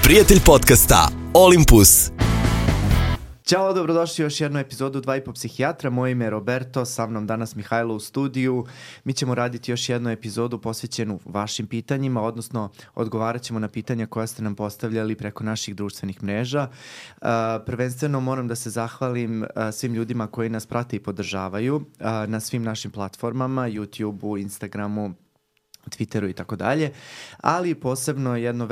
prijatelj podcasta Olympus. Ćao, dobrodošli u još jednu epizodu 2,5 psihijatra. Moje ime je Roberto, sa mnom danas Mihajlo u studiju. Mi ćemo raditi još jednu epizodu posvećenu vašim pitanjima, odnosno odgovarat ćemo na pitanja koja ste nam postavljali preko naših društvenih mreža. Prvenstveno moram da se zahvalim svim ljudima koji nas prate i podržavaju na svim našim platformama, YouTubeu, Instagramu, Twitteru i tako dalje, ali posebno jedno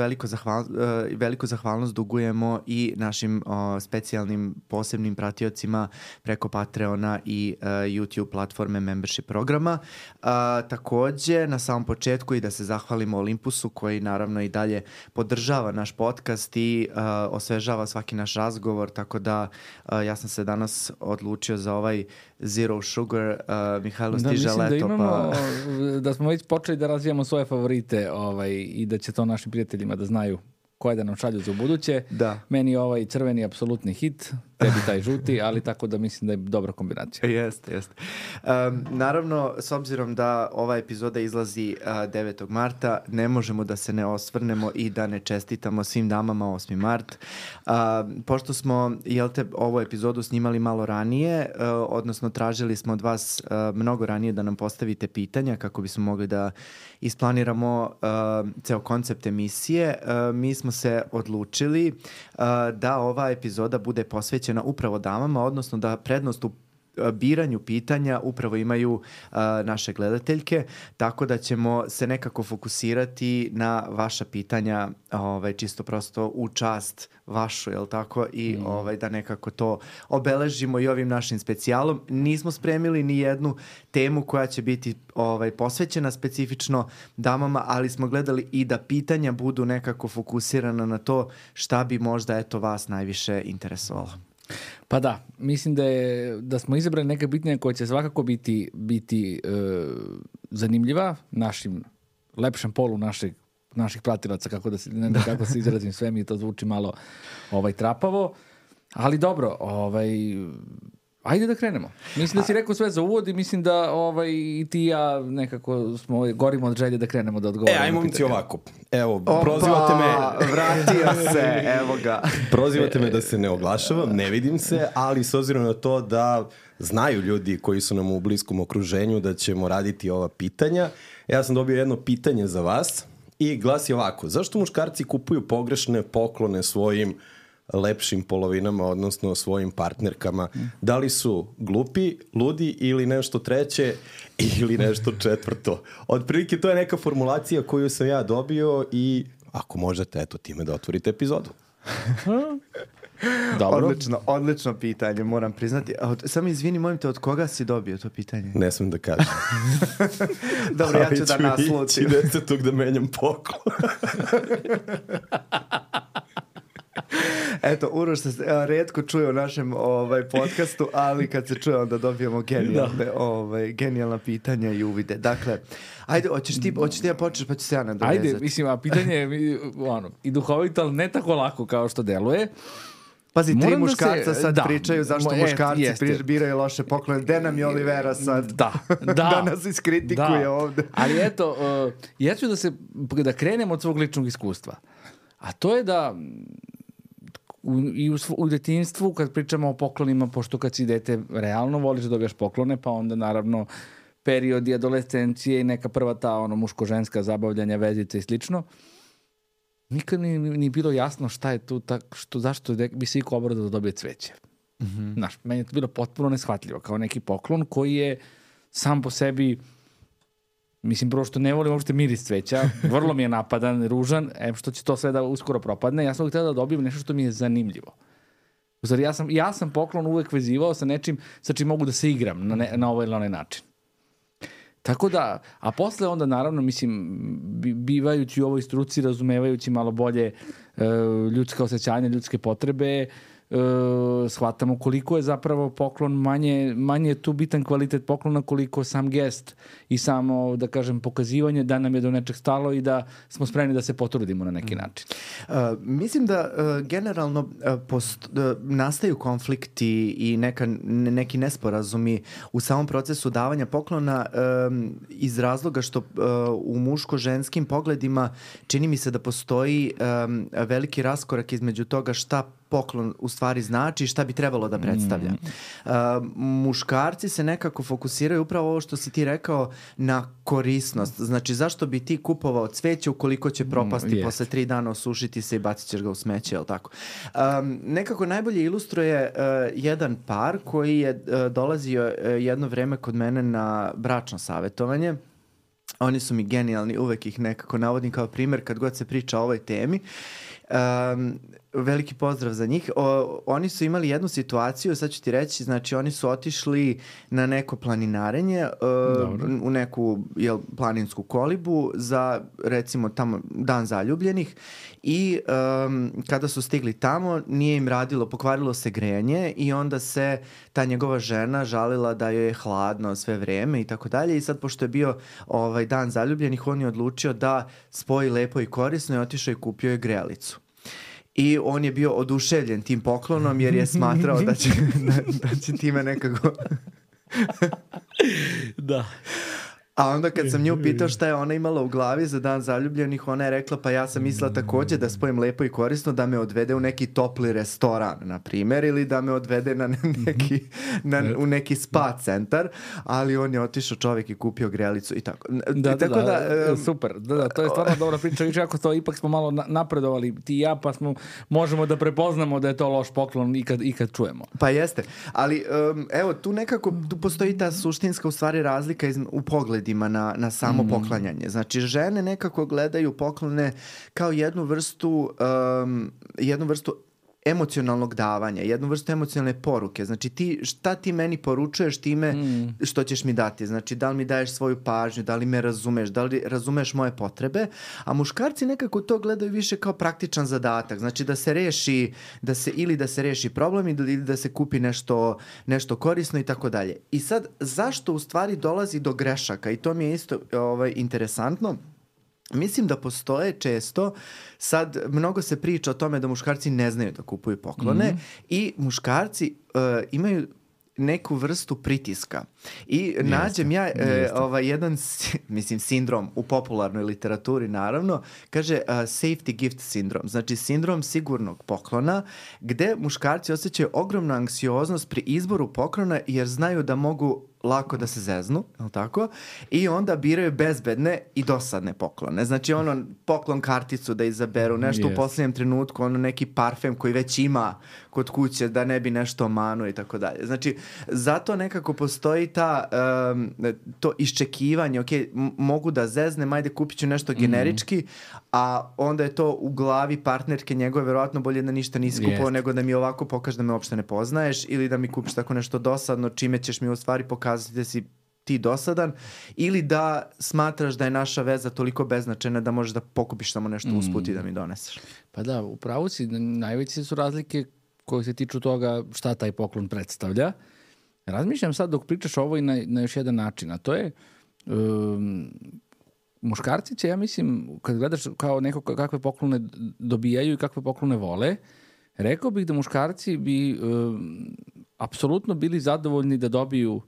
veliku zahvalnost dugujemo i našim specijalnim posebnim pratiocima preko Patreona i YouTube platforme membership programa. Takođe, na samom početku i da se zahvalimo Olympusu koji naravno i dalje podržava naš podcast i osvežava svaki naš razgovor, tako da ja sam se danas odlučio za ovaj Zero Sugar. Mihajlo, stiže leto. Da imamo, da smo već počeli da razvijamo svoje favorite i da će to našim prijateljima da znaju koje da nam šalju za ubuduće. Da. Meni ovaj crveni apsolutni hit, tebi taj žuti, ali tako da mislim da je dobra kombinacija. Jeste. Naravno, s obzirom da ova epizoda izlazi 9. marta, ne možemo da se ne osvrnemo i da ne čestitamo svim damama 8. mart. Pošto smo, ovu epizodu snimali malo ranije, odnosno tražili smo od vas mnogo ranije da nam postavite pitanja kako bismo mogli da isplaniramo ceo koncept emisije, mi smo se odlučili da ova epizoda bude posvećena upravo damama, odnosno da prednost u biranju pitanja upravo imaju naše gledateljke, tako da ćemo se nekako fokusirati na vaša pitanja, čisto prosto u čast vašu, jel tako? I da nekako to obeležimo i ovim našim specijalom. Nismo spremili ni jednu temu koja će biti posvećena specifično damama, ali smo gledali i da pitanja budu nekako fokusirana na to šta bi možda vas najviše interesovalo. Pa da, mislim da smo izabrali neka pitanja koja će svakako biti zanimljiva našim lepšem polu naših pratilaca, kako se izrazim, sve mi to zvuči malo trapavo, ali dobro, ajde da krenemo. Mislim da si rekao sve za uvod i mislim da i ti i ja nekako smo gorimo od želje da krenemo da odgovorimo. Ajmo mi ti ovako. Evo, prozivate me. Vratio se, evo ga. Prozivate me da se ne oglašavam, ne vidim se, ali s obzirom na to da znaju ljudi koji su nam u bliskom okruženju da ćemo raditi ova pitanja, ja sam dobio jedno pitanje za vas i glasi ovako. Zašto muškarci kupuju pogrešne poklone svojim lepšim polovinama, odnosno svojim partnerkama? Da li su glupi, ludi ili nešto treće ili nešto četvrto? Otprilike to je neka formulacija koju sam ja dobio i ako možete, time da otvorite epizodu. Dobro. Odlično pitanje, moram priznati. Samo izvini, molim te, od koga si dobio to pitanje? Ne smijem da kažem. Dobro, ja ću da naslutim. Ali ću 10. da menjam poklon. Eto, Uroš se retko čuje u našem podcastu, ali kad se čuje onda dobijemo genijalna pitanja i uvide. Dakle, ajde, hoćeš ti ja počneš pa ću se ja nadovezati. Ajde, mislim, a pitanje je i duhovito, ali ne tako lako kao što deluje. Pazi, tri muškarca sad pričaju zašto muškarci biraju loše poklone. Gde nam je Olivera sad? Da nas iskritikuje ovde. Ali eto, ja ću da krenem od svog ličnog iskustva. A to je da u detinjstvu kad pričamo o poklonima, pošto kad si dete realno voliš da dobijaš poklone, pa onda naravno periodi adolescencije i neka prva ta muško-ženska zabavljanja, vezice i slično, nikad ni bilo jasno šta je tu, zašto bi se iko obrao da dobije cveće. Znaš, meni je to bilo potpuno neshvatljivo, kao neki poklon koji je sam po sebi, mislim, prvo što ne volim uopšte miris cveća, vrlo mi je napadan, ružan, što će to sve da uskoro propadne, ja sam uvijek htio da dobijem nešto što mi je zanimljivo. Uzor, ja sam poklon uvijek vezivao sa nečim sa čim mogu da se igram na ovaj ili onaj način. Tako da, a posle onda naravno, mislim, bivajući u ovoj struci, razumevajući malo bolje ljudska osjećanja, ljudske potrebe, shvatamo koliko je zapravo poklon manje je tu bitan kvalitet poklona koliko sam gest i samo, da kažem, pokazivanje da nam je do nečeg stalo i da smo spremni da se potrudimo na neki način. Mislim da generalno nastaju konflikti i neki nesporazumi u samom procesu davanja poklona iz razloga što u muško-ženskim pogledima čini mi se da postoji veliki raskorak između toga šta poklon u stvari znači i šta bi trebalo da predstavlja. Muškarci se nekako fokusiraju upravo ovo što si ti rekao na korisnost. Znači, zašto bi ti kupovao cveće ukoliko će propasti posle 3 dana, osušiti se i bacit ćeš ga u smeće, je li tako? Nekako najbolje ilustruje jedan par koji je dolazio jedno vreme kod mene na bračno savjetovanje. Oni su mi genijalni, uvek ih nekako navodim kao primjer kad god se priča o ovoj temi. Veliki pozdrav za njih. Oni su imali jednu situaciju, sad ću ti reći, znači oni su otišli na neko planinarenje u neku planinsku kolibu za recimo tamo dan zaljubljenih i kada su stigli tamo nije im radilo, pokvarilo se grejanje i onda se ta njegova žena žalila da joj je hladno sve vreme i tako dalje i sad pošto je bio dan zaljubljenih on je odlučio da spoji lepo i korisno i otišao i kupio je grejalicu. I on je bio oduševljen tim poklonom jer je smatrao da će time nekako... Da. A onda kad sam nju pitao šta je ona imala u glavi za dan zaljubljenih, ona je rekla pa ja sam mislila također da spojim lepo i korisno, da me odvede u neki topli restoran, na primjer, ili da me odvede u neki spa centar, ali on je otišao čovjek i kupio grejalicu i tako. Super. Da, to je stvarno dobra priča. Više ako to ipak smo malo napredovali ti i ja, pa možemo da prepoznamo da je to loš poklon i kad čujemo. Pa jeste. Ali evo, tu nekako postoji ta suštinska u stvari razlika u pogledu na samo poklanjanje. Znači, žene nekako gledaju poklone kao jednu vrstu emocionalnog davanja, jednu vrstu emocionalne poruke. Znači, šta ti meni poručuješ time što ćeš mi dati? Znači, da li mi daješ svoju pažnju, da li me razumeš, da li razumeš moje potrebe? A muškarci nekako to gledaju više kao praktičan zadatak. Znači, da se reši problem ili da se kupi nešto korisno i tako dalje. I sad, zašto u stvari dolazi do grešaka? I to mi je isto interesantno. Mislim da postoje često, sad mnogo se priča o tome da muškarci ne znaju da kupuju poklone i muškarci imaju neku vrstu pritiska. I nađem ja jedan sindrom u popularnoj literaturi, naravno, kaže safety gift sindrom. Znači sindrom sigurnog poklona, gde muškarci osjećaju ogromnu anksioznost pri izboru poklona jer znaju da mogu lako da se zeznu, je tako? I onda biraju bezbedne i dosadne poklone. Znači poklon karticu da izaberu, nešto u posljednjem trenutku, neki parfem koji već ima kod kuće da ne bi nešto omanuo i tako dalje. Znači, zato nekako postoji to iščekivanje, ok, mogu da zeznem, ajde kupit ću nešto generički, a onda je to u glavi partnerke njegove verovatno bolje da ništa nisi kupovao nego da mi ovako pokaže da me uopšte ne poznaješ ili da mi kupiš tako nešto dosadno čime ćeš mi u stvari pokazati da si ti dosadan ili da smatraš da je naša veza toliko beznačajna da možeš da pokupiš samo nešto usput i da mi doneseš. Pa da, upravo si, najveće su razlike koje se tiču toga šta taj poklon predstavlja. Razmišljam sad dok pričaš ovo i na još jedan način, a to je muškarci će, ja mislim, kad gledaš kao neko kakve poklone dobijaju i kakve poklone vole, rekao bih da muškarci bi apsolutno bili zadovoljni da dobiju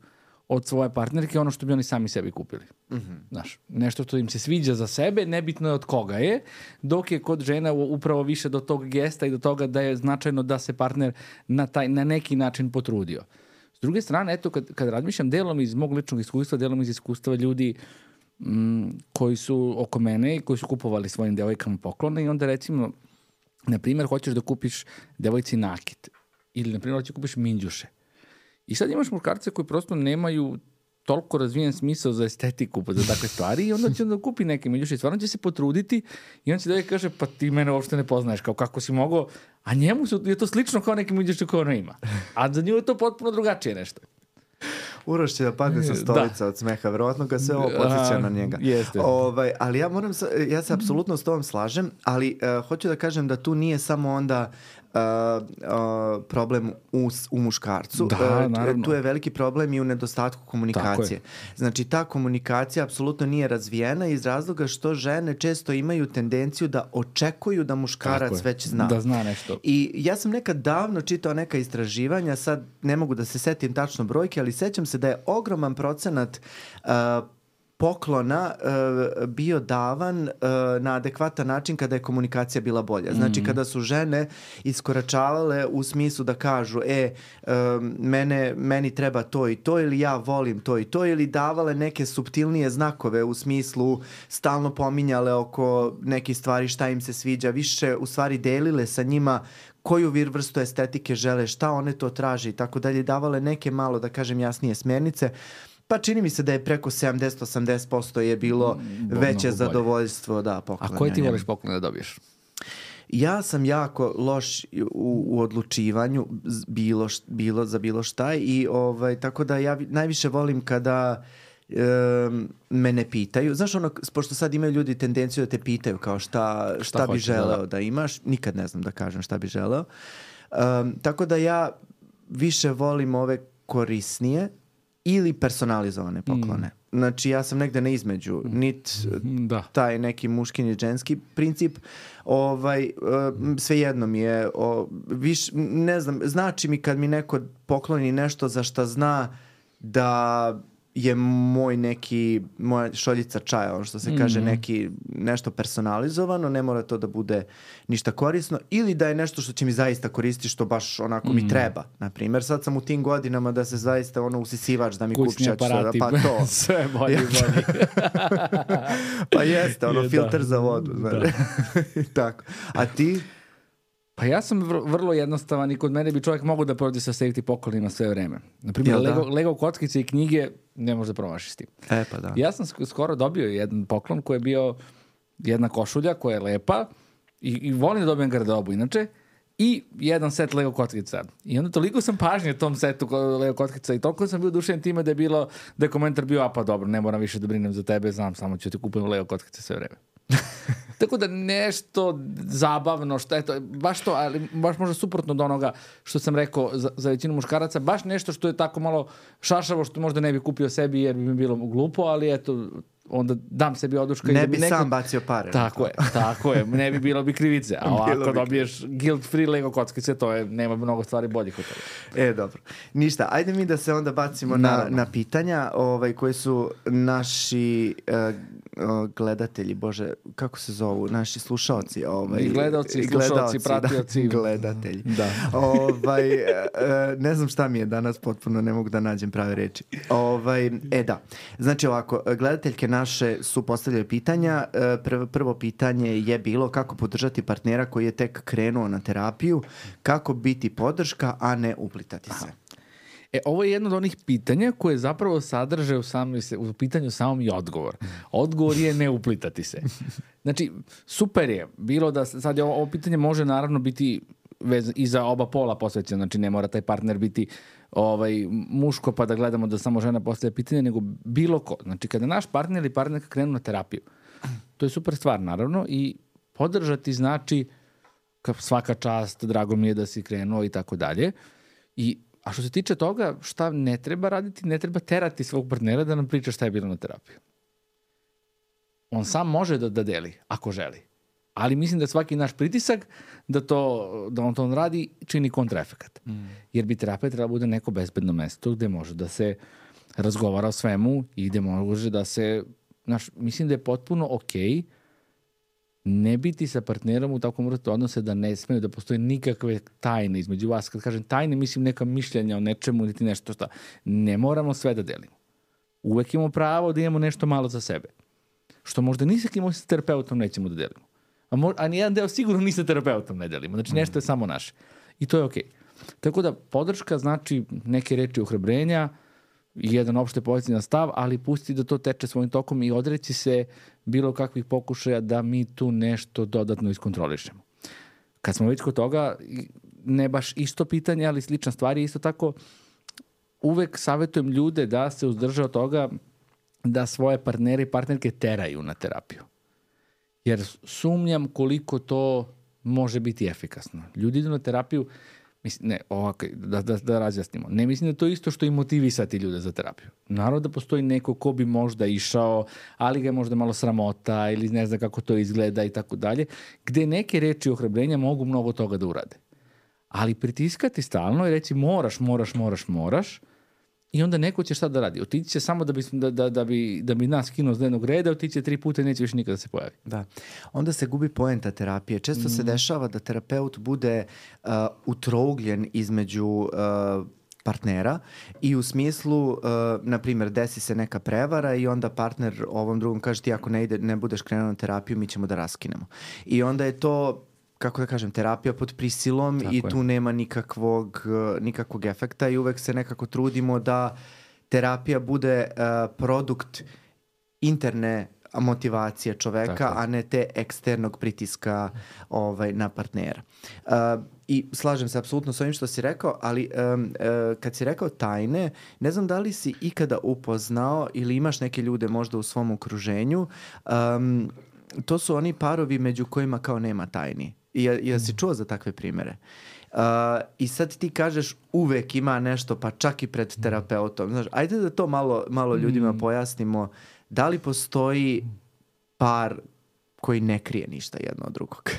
od svoje partnerke ono što bi oni sami sebi kupili. Znaš, nešto što im se sviđa za sebe, nebitno je od koga je, dok je kod žena upravo više do tog gesta i do toga da je značajno da se partner na neki način potrudio. S druge strane, eto, kad razmišljam delom iz mog ličnog iskustva, delom iz iskustva ljudi koji su oko mene i koji su kupovali svojim devojkama poklone i onda recimo, na primjer, hoćeš da kupiš devojci nakit ili, na primjer, hoćeš da kupiš minđuše. I sad imaš muškarce koji prosto nemaju toliko razvijen smisao za estetiku, za takve stvari i onda će da kupi neke minđuše i stvarno će se potruditi i on će da kaže, pa ti mene uopšte ne poznaješ, kao kako si mogao, a njemu je to slično kao neke minđuše koje ona ima. A za nju je to potpuno drugačije nešto. Uroš će da padne sa stolica od smeha, verovatno ga sve ovo podsjeća na njega. Ali ja se apsolutno s tobom slažem, ali hoću da kažem da tu nije samo onda problem u muškarcu. Da, naravno. Tu je veliki problem i u nedostatku komunikacije. Znači, ta komunikacija apsolutno nije razvijena iz razloga što žene često imaju tendenciju da očekuju da muškarac već zna. Da zna nešto. I ja sam nekad davno čitao neka istraživanja, sad ne mogu da se setim tačno brojke, ali sećam se da je ogroman procenat poklona bio davan na adekvatan način kada je komunikacija bila bolja. Znači, kada su žene iskoračavale u smislu da kažu meni treba to i to, ili ja volim to i to, ili davale neke suptilnije znakove u smislu stalno pominjale oko nekih stvari šta im se sviđa, više u stvari delile sa njima koju vrstu estetike žele, šta one to traže i tako dalje, davale neke malo, da kažem, jasnije smernice. Pa čini mi se da je preko 70-80% je bilo veće zadovoljstvo poklanja. A koje ti voliš poklone da dobiješ? Ja sam jako loš u odlučivanju za bilo šta i tako da ja najviše volim kada me ne pitaju. Znaš ono, pošto sad imaju ljudi tendenciju da te pitaju kao šta bi želeo da imaš, nikad ne znam da kažem šta bi želeo. Tako da ja više volim ove korisnije ili personalizovane poklone. Znači, ja sam negde na između. Taj neki muški ni ženski princip. Svejedno mi je. Ne znam, znači mi kad mi neko pokloni nešto za šta zna da je moja šoljica čaja, ono što se kaže, nešto personalizovano, ne mora to da bude ništa korisno, ili da je nešto što će mi zaista koristiti, što baš onako mi treba. Naprimjer, sad sam u tim godinama da se zaista usisivač da mi kućni aparati, pa to. Sve bolje. Pa jeste, filter za vodu. Tako. A ti? Pa ja sam vrlo jednostavan i kod mene bi čovjek mogao da prođe sa safety poklonima sve vreme. Naprimjer, Lego kockice i knjige ne može da promašiš s tim. Pa da. Ja sam skoro dobio jedan poklon koji je bio jedna košulja koja je lepa i volim da dobijem garderobu inače, i jedan set Lego kockica. I onda toliko sam pažnje tom setu Lego kockica i toliko sam bio oduševljen time da je komentar bio, pa dobro, ne moram više da brinem za tebe, znam, samo ću ti kupujem Lego kockice sve vreme. Tako da nešto zabavno, što je to, baš to, ali baš možda suprotno od onoga što sam rekao za većinu muškaraca, baš nešto što je tako malo šašavo, što možda ne bi kupio sebi jer bi mi bilo glupo, ali eto, onda dam sebi oduška. Ne bi sam bacio pare. Tako je, ne bi bilo bi krivice. A ovako dobiješ guilt free Lego kockice, nema mnogo stvari boljih od toga. Dobro. Ništa, ajde mi da se onda bacimo na pitanja koji su naši gledatelji, bože, kako se zovu, naši slušaoci. Gledalci, slušalci, pratioci. Gledatelji. Da. Ne znam šta mi je danas, potpuno ne mogu da nađem prave reči. Da. Znači ovako, gledateljke naše su postavljale pitanja. Prvo pitanje je bilo kako podržati partnera koji je tek krenuo na terapiju, kako biti podrška, a ne uplitati se. Ovo je jedno od onih pitanja koje zapravo sadrže u pitanju samom i odgovor. Odgovor je ne uplitati se. Znači, super je bilo da sad ovo pitanje može naravno biti i za oba pola posvećeno. Znači, ne mora taj partner biti muško pa da gledamo da samo žena postavlja pitanje, nego bilo ko. Znači, kada naš partner ili partnerka krenu na terapiju, to je super stvar, naravno, i podržati znači svaka čast, drago mi je da si krenuo i tako dalje. A što se tiče toga, šta ne treba raditi, ne treba terati svog partnera da nam priča šta je bilo na terapiju. On sam može da deli, ako želi. Ali mislim da svaki naš pritisak da on to radi čini kontraefekat. Jer bi terapija trebala bude neko bezbedno mesto gde može da se razgovara o svemu i gde može da se... mislim da je potpuno okej ne biti sa partnerom u takvom vrstu odnose da ne smeju da postoje nikakve tajne između vas. Kad kažem tajne, mislim neka mišljenja o nečemu ili nešto šta. Ne moramo sve da delimo. Uvek imamo pravo da imamo nešto malo za sebe. Što možda ni sa kim sa terapeutom nećemo da delimo. A nijedan deo sigurno ni sa terapeutom ne delimo. Znači nešto je samo naše. I to je okej. Tako da podrška znači neke reči ohrabrenja i jedan opšte pozitivan stav, ali pusti da to teče svojim tokom i odreći se bilo kakvih pokušaja da mi tu nešto dodatno iskontrolišemo. Kad smo već kod toga, ne baš isto pitanje, ali slična stvar je isto tako, uvek savjetujem ljude da se uzdrže od toga da svoje partnere i partnerke teraju na terapiju. Jer sumnjam koliko to može biti efikasno. Ljudi idu na terapiju, mislim, ne, ovako, da razjasnimo. Ne mislim da to je isto što i motivisati ljude za terapiju. Naravno da postoji neko ko bi možda išao, ali ga je možda malo sramota ili ne zna kako to izgleda i tako dalje, gde neke reči ohrabrenja mogu mnogo toga da urade. Ali pritiskati stalno i reći moraš, i onda neko će šta da radi? Otići će samo da bi nas skinuo s dnevnog reda, otići će 3 puta i neće više nikada se pojavi. Da. Onda se gubi poenta terapije. Često se dešava da terapeut bude utrougljen između partnera i u smislu, na primjer, desi se neka prevara i onda partner ovom drugom kaže ti ako ne budeš krenuo na terapiju, mi ćemo da raskinemo. I onda je to, kako da kažem, terapija pod prisilom i tu nema nikakvog efekta i uvek se nekako trudimo da terapija bude produkt interne motivacije čoveka, a ne te eksternog pritiska na partnera. I slažem se apsolutno s ovim što si rekao, ali kad si rekao tajne, ne znam da li si ikada upoznao ili imaš neke ljude možda u svom okruženju, to su oni parovi među kojima kao nema tajni. I si čuo za takve primere? I sad ti kažeš uvek ima nešto, pa čak i pred terapeutom. Znaš, ajde da to malo ljudima pojasnimo. Da li postoji par koji ne krije ništa jedno od drugog?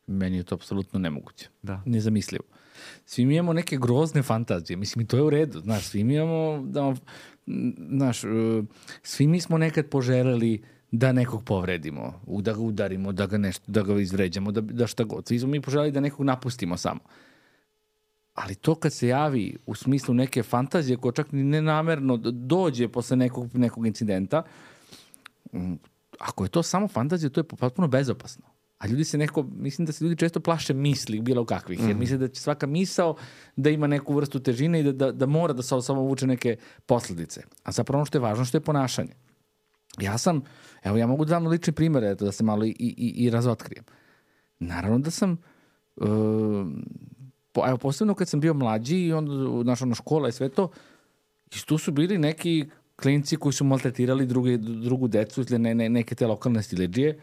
Meni je to apsolutno nemoguće. Da. Nezamislivo. Svi mi imamo neke grozne fantazije. Mislim, i to je u redu. Znaš, svi mi imamo, svi mi smo nekad poželeli da nekog povredimo, da ga udarimo, da ga izvređamo, da šta god. Svi smo mi poželjeli da nekog napustimo samo. Ali to kad se javi u smislu neke fantazije koja čak ni nenamerno dođe posle nekog incidenta, ako je to samo fantazija, to je potpuno bezopasno. A mislim da se ljudi često plaše misli bilo kakvih, jer misle da će svaka misao da ima neku vrstu težine i da mora da sa sobom vuče neke posledice. A zapravo ono što je važno, što je ponašanje. Ja mogu da dam lični primjer, da se malo i razotkrijem. Naravno da sam, posebno kad sam bio mlađi i onda škola i sve to, i tu su bili neki klinci koji su maltretirali drugu decu ili neke te lokalne stiledžije.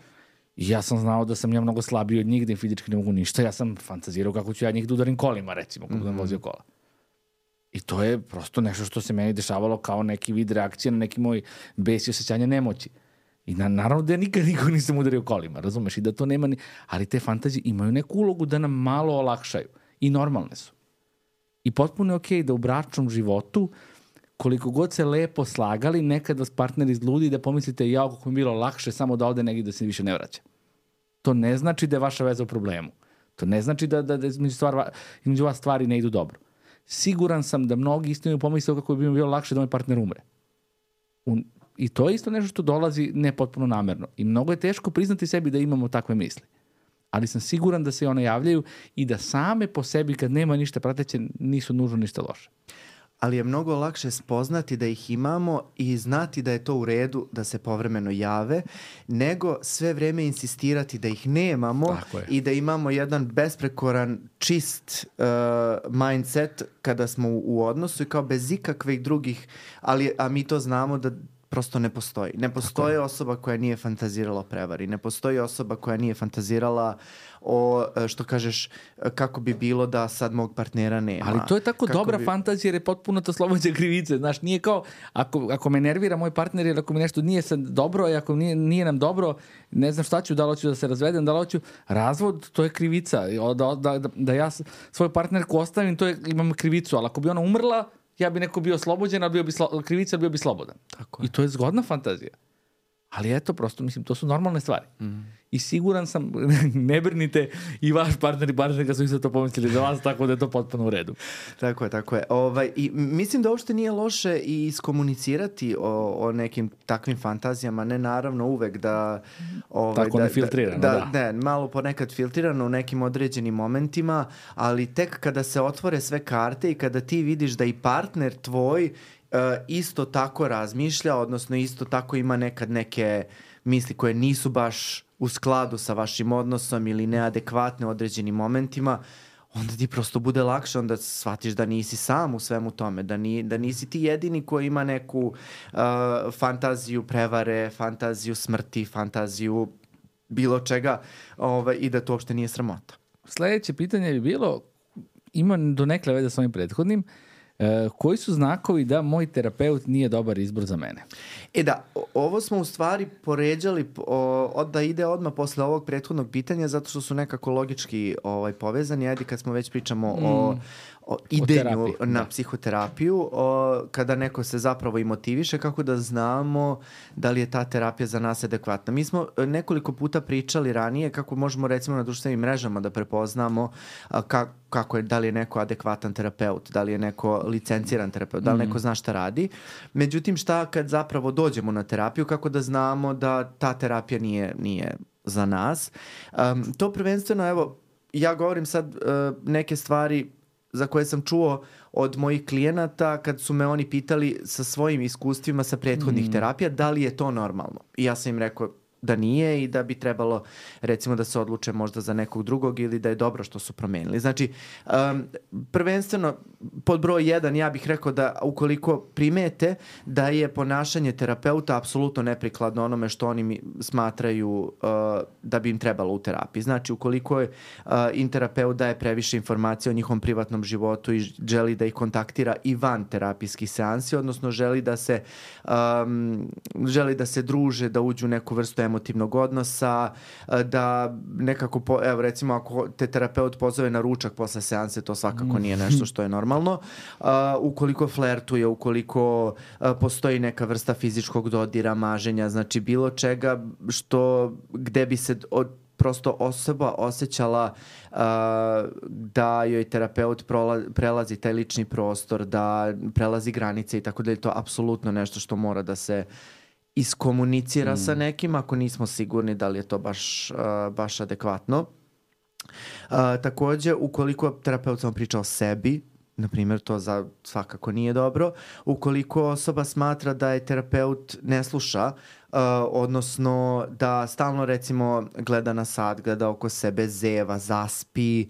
I ja sam znao da sam ja mnogo slabiji od njih, da im fizički ne mogu ništa. Ja sam fantazirao kako ću ja njih da udarim kolima, recimo, kako sam vozio kola. I to je prosto nešto što se meni dešavalo kao neki vid reakcije na neki moj bes i osjećanja nemoći. I naravno da ja nikad nisam udario kolima, razumeš? I da to nema ali te fantazije imaju neku ulogu da nam malo olakšaju. I normalne su. I potpuno je okej da u bračnom životu, koliko god se lepo slagali, nekad vas partner izludi da pomislite kako mi je bilo lakše samo da ode negdje da se više ne vraća. To ne znači da je vaša veza u problemu. To ne znači da između vas stvari ne idu dobro. Siguran sam da mnogi isto imaju pomisao kako bi mi bilo lakše da moj partner umre. I to je isto nešto što dolazi ne potpuno namerno. I mnogo je teško priznati sebi da imamo takve misli. Ali sam siguran da se one javljaju i da same po sebi kad nema ništa prateće nisu nužno ništa loše. Ali je mnogo lakše spoznati da ih imamo i znati da je to u redu da se povremeno jave, nego sve vreme insistirati da ih nemamo i da imamo jedan besprekoran, čist mindset kada smo u odnosu i kao bez ikakvih drugih, a mi to znamo da prosto ne postoji. Ne postoji osoba koja nije fantazirala o prevari. Ne postoji osoba koja nije fantazirala o, što kažeš, kako bi bilo da sad mog partnera nema. Ali to je tako dobra fantazija jer je potpuno to slobođa krivice. Znaš, nije kao, ako me nervira moj partner ili ako mi nešto nije sad dobro i ako nije nam dobro, ne znam šta ću, da li hoću da se razvedem, da li hoću razvod, to je krivica. Da ja svoj partnerku ostavim, imam krivicu, ali ako bi ona umrla, ja bi neko bio oslobođen, ali krivica, bio bi slobodan. I to je zgodna fantazija. Ali eto, prosto, mislim, to su normalne stvari. I siguran sam, ne brinite, i vaš partner i partnerka su isto to pomislili za vas, tako da je to potpuno u redu. Tako je. I mislim da uopšte nije loše i iskomunicirati o nekim takvim fantazijama, ne naravno uvek da... tako ne filtrirano, Ne, malo ponekad filtrirano u nekim određenim momentima, ali tek kada se otvore sve karte i kada ti vidiš da i partner tvoj isto tako razmišlja, odnosno isto tako ima nekad neke misli koje nisu baš u skladu sa vašim odnosom ili neadekvatne u određenim momentima, onda ti prosto bude lakše, onda shvatiš da nisi sam u svemu tome, da nisi ti jedini koji ima neku fantaziju prevare, fantaziju smrti, fantaziju bilo čega i da to uopšte nije sramota. Sledeće pitanje bi bilo, ima donekle veze sa ovim prethodnim, koji su znakovi da moj terapeut nije dobar izbor za mene? Ovo smo u stvari poređali da ide odmah posle ovog prethodnog pitanja, zato što su nekako logički povezani. Ajde, kad smo već pričamo o idenju na psihoterapiju, kada neko se zapravo i motiviše, kako da znamo da li je ta terapija za nas adekvatna. Mi smo nekoliko puta pričali ranije kako možemo recimo na društvenim mrežama da prepoznamo kako je, da li je neko adekvatan terapeut, da li je neko licenciran terapeut, da li neko zna šta radi. Međutim, šta kad zapravo dođemo na terapiju, kako da znamo da ta terapija nije za nas. To prvenstveno, evo, ja govorim sad neke stvari za koje sam čuo od mojih klijenata kad su me oni pitali sa svojim iskustvima sa prethodnih terapija, da li je to normalno. I ja sam im rekao da nije i da bi trebalo recimo da se odluče možda za nekog drugog ili da je dobro što su promenili. Znači, prvenstveno pod broj 1 ja bih rekao da ukoliko primete da je ponašanje terapeuta apsolutno neprikladno onome što oni smatraju da bi im trebalo u terapiji. Znači, ukoliko im terapeut daje previše informacija o njihovom privatnom životu i želi da ih kontaktira i van terapijskih seansi, odnosno želi da se druže, da uđu u neku vrstu emotivnog odnosa, da nekako, evo recimo ako te terapeut pozove na ručak posle seanse, to svakako nije nešto što je normalno. Ukoliko flertuje, ukoliko postoji neka vrsta fizičkog dodira, maženja, znači bilo čega gde bi se prosto osoba osjećala da joj terapeut prelazi taj lični prostor, da prelazi granice i tako da je to apsolutno nešto što mora da se iskomunicira sa nekim ako nismo sigurni da li je to baš adekvatno. Takođe, ukoliko terapeut samo priča o sebi, na primjer, to svakako nije dobro. Ukoliko osoba smatra da je terapeut ne sluša, odnosno da stalno recimo gleda na sat, gleda oko sebe, zeva, zaspi,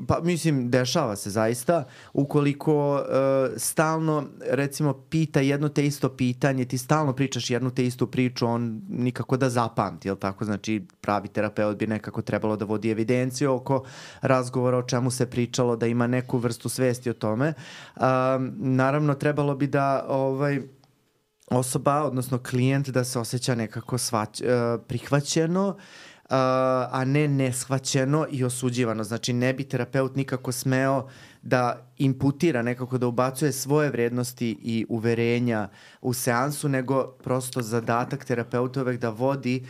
pa mislim dešava se zaista. Ukoliko stalno recimo pita jedno te isto pitanje, ti stalno pričaš jednu te istu priču, on nikako da zapamti, jel tako? Znači pravi terapeut bi nekako trebalo da vodi evidenciju oko razgovora o čemu se pričalo, da ima neku vrstu svesti o tome. Naravno trebalo bi da osoba, odnosno klijent, da se osjeća nekako prihvaćeno, a ne neshvaćeno i osuđivano. Znači ne bi terapeut nikako smeo da imputira, nekako da ubacuje svoje vrednosti i uverenja u seansu, nego prosto zadatak terapeuta uvek da vodi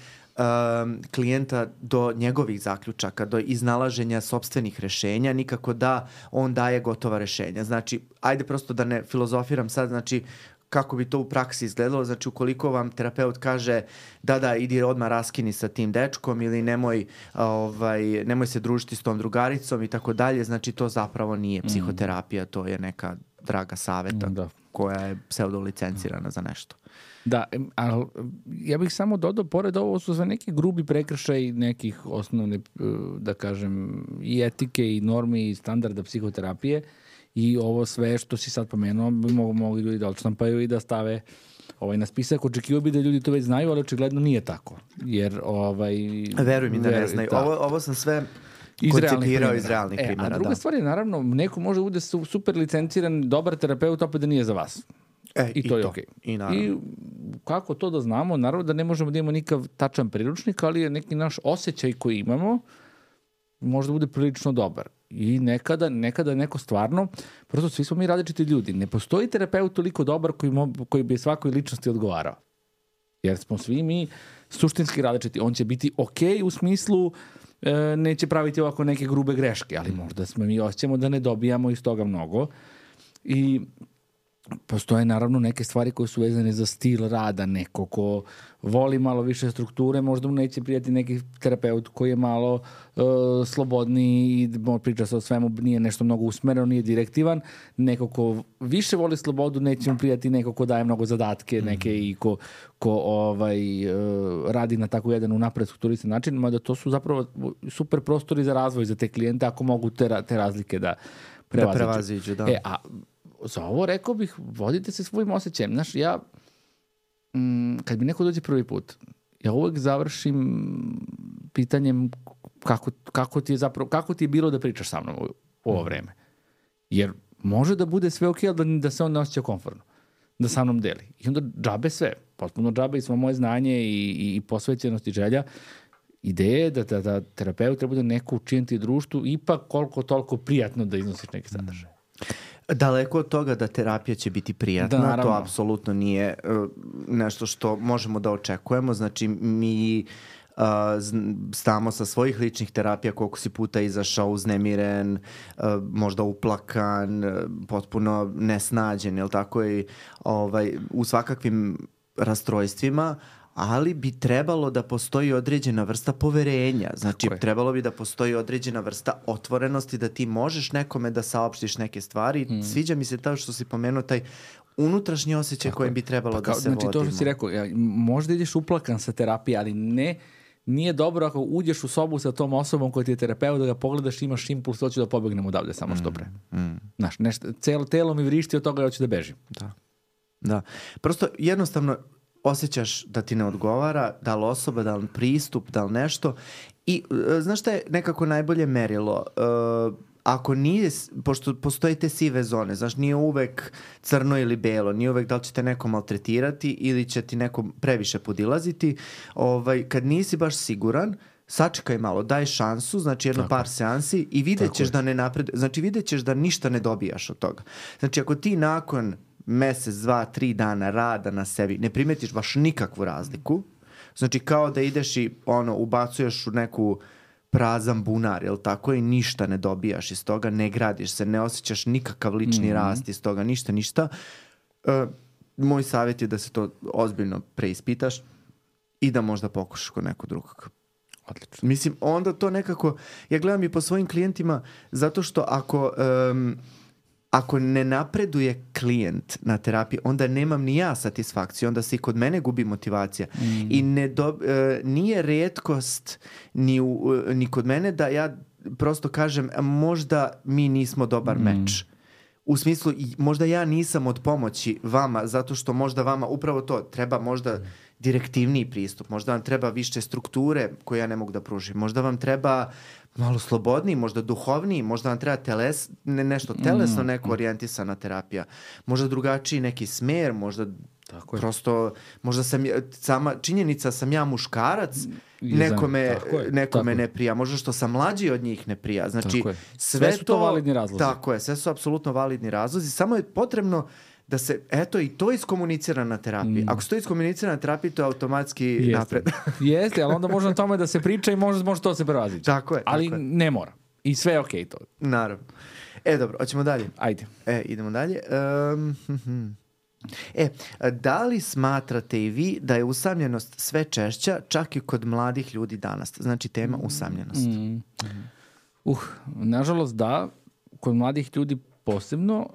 klijenta do njegovih zaključaka, do iznalaženja sopstvenih rešenja, nikako da on daje gotova rešenja. Znači, ajde prosto da ne filozofiram sad, znači kako bi to u praksi izgledalo. Znači, ukoliko vam terapeut kaže da, idi odmah raskini sa tim dečkom ili nemoj se družiti s tom drugaricom i tako dalje, znači to zapravo nije psihoterapija, to je neka draga saveta koja je pseudolicencirana za nešto. Da, ali ja bih samo dodao, pored ovo su sve neki grubi prekršaj nekih osnovne, da kažem, i etike i normi i standarda psihoterapije. I ovo sve što si sad pomenuo bi mogli ljudi da odštampaju i da stave na spisak. Očekivao bi da ljudi to već znaju, ali očigledno nije tako. Jer veruj mi da ne znaju. Ovo sam sve koncipirao iz realnih primjera. A druga stvar je, naravno, neko može bude super licenciran, dobar terapeut, opet da nije za vas. I to je okej. I kako to da znamo? Naravno da ne možemo da imamo nikav tačan priručnik, ali je neki naš osjećaj koji imamo možda bude prilično dobar. I nekada neko stvarno, prosto svi smo mi različiti ljudi. Ne postoji terapeut toliko dobar koji bi svakoj ličnosti odgovarao. Jer smo svi mi suštinski različiti. On će biti okej u smislu neće praviti ovako neke grube greške, ali možda mi osjećamo da ne dobijamo iz toga mnogo. I postoje naravno neke stvari koje su vezane za stil rada, neko ko voli malo više strukture, možda mu neće prijati neki terapeut koji je malo slobodniji i priča se o svemu, nije nešto mnogo usmereno, nije direktivan. Neko ko više voli slobodu, neće mu prijati neko ko daje mnogo zadatke, neke i ko radi na tako jedan unapred strukturisan način, mada to su zapravo super prostori za razvoj za te klijente ako mogu te razlike da prevaziđu. Da. A za ovo rekao bih, vodite se svojim osjećajem. Znaš, kad mi neko dođe prvi put, ja uvek završim pitanjem kako ti je bilo da pričaš sa mnom u ovo vreme. Jer može da bude sve okej, ali da se on ne osjeća komfortno. Da sa mnom deli. I onda džabe sve. Potpuno džabe i svo moje znanje i posvećenost i želja. Ideja je da terapeut treba da neko učiniti društvu ipak koliko toliko prijatno da iznosiš neke sadržaje. Daleko od toga da terapija će biti prijatna, to apsolutno nije nešto što možemo da očekujemo. Znači, mi znamo sa svojih ličnih terapija koliko si puta izašao uznemiren, možda uplakan, potpuno nesnađen, jel tako, i u svakakvim rastrojstvima, ali bi trebalo da postoji određena vrsta poverenja. Znači, trebalo bi da postoji određena vrsta otvorenosti, da ti možeš nekome da saopštiš neke stvari. Sviđa mi se to što si pomenuo, taj unutrašnji osjećaj kojim bi trebalo da se vodimo. Znači, to što si rekao, možda ideš uplakan sa terapije, ali nije dobro ako uđeš u sobu sa tom osobom koja ti je terapeut, da ga pogledaš i imaš impuls, hoću da pobegnem odavde samo što pre. Znaš, celo telo mi vrišti od toga i hoću da bežim. Da. Prosto jednostavno osjećaš da ti ne odgovara, da li osoba, da li pristup, da li nešto. I znaš šta je nekako najbolje merilo? Ako nije, pošto postoje te sive zone, znaš, nije uvek crno ili belo, nije uvek da li će te neko maltretirati ili će ti neko previše podilaziti. Kad nisi baš siguran, sačekaj malo, daj šansu, znači par seansi i vidjet ćeš da ne napreduje. Znači vidjet ćeš da ništa ne dobijaš od toga. Znači ako ti nakon mesec, 2, 3 dana rada na sebi ne primetiš baš nikakvu razliku, znači kao da ideš i ubacuješ u neku prazan bunar, jel tako, i ništa ne dobijaš iz toga, ne gradiš se, ne osjećaš nikakav lični rast iz toga, ništa. Moj savjet je da se to ozbiljno preispitaš i da možda pokušaš kod nekog drugog. Odlično. Mislim, onda to nekako, ja gledam i po svojim klijentima, zato što ako ne napreduje klijent na terapiji, onda nemam ni ja satisfakciju, onda se i kod mene gubi motivacija. I nije retkost ni kod mene da ja prosto kažem možda mi nismo dobar meč. U smislu, možda ja nisam od pomoći vama, zato što možda vama upravo to treba možda direktivniji pristup, možda vam treba više strukture koje ja ne mogu da pružim, možda vam treba malo slobodniji, možda duhovniji, možda vam treba nešto telesno, neko orijentisana terapija, možda drugačiji neki smer, možda prosto, možda sama činjenica sam ja muškarac, nekome ne prija, možda što sam mlađi od njih ne prija. Znači, sve su to validni razlozi. Tako je, sve su apsolutno validni razlozi, samo je potrebno da se, i to iskomunicira na terapiji. Ako se to iskomunicira na terapiji, to je automatski napred. Jeste, ali onda može na tome da se priča i može to se prevazići. Tako je. Ali ne mora. I sve je okej to. Naravno. Dobro, hoćemo dalje. Ajde. Idemo dalje. Da li smatrate i vi da je usamljenost sve češća, čak i kod mladih ljudi danas? Znači, tema usamljenost. Nažalost, da. Kod mladih ljudi posebno,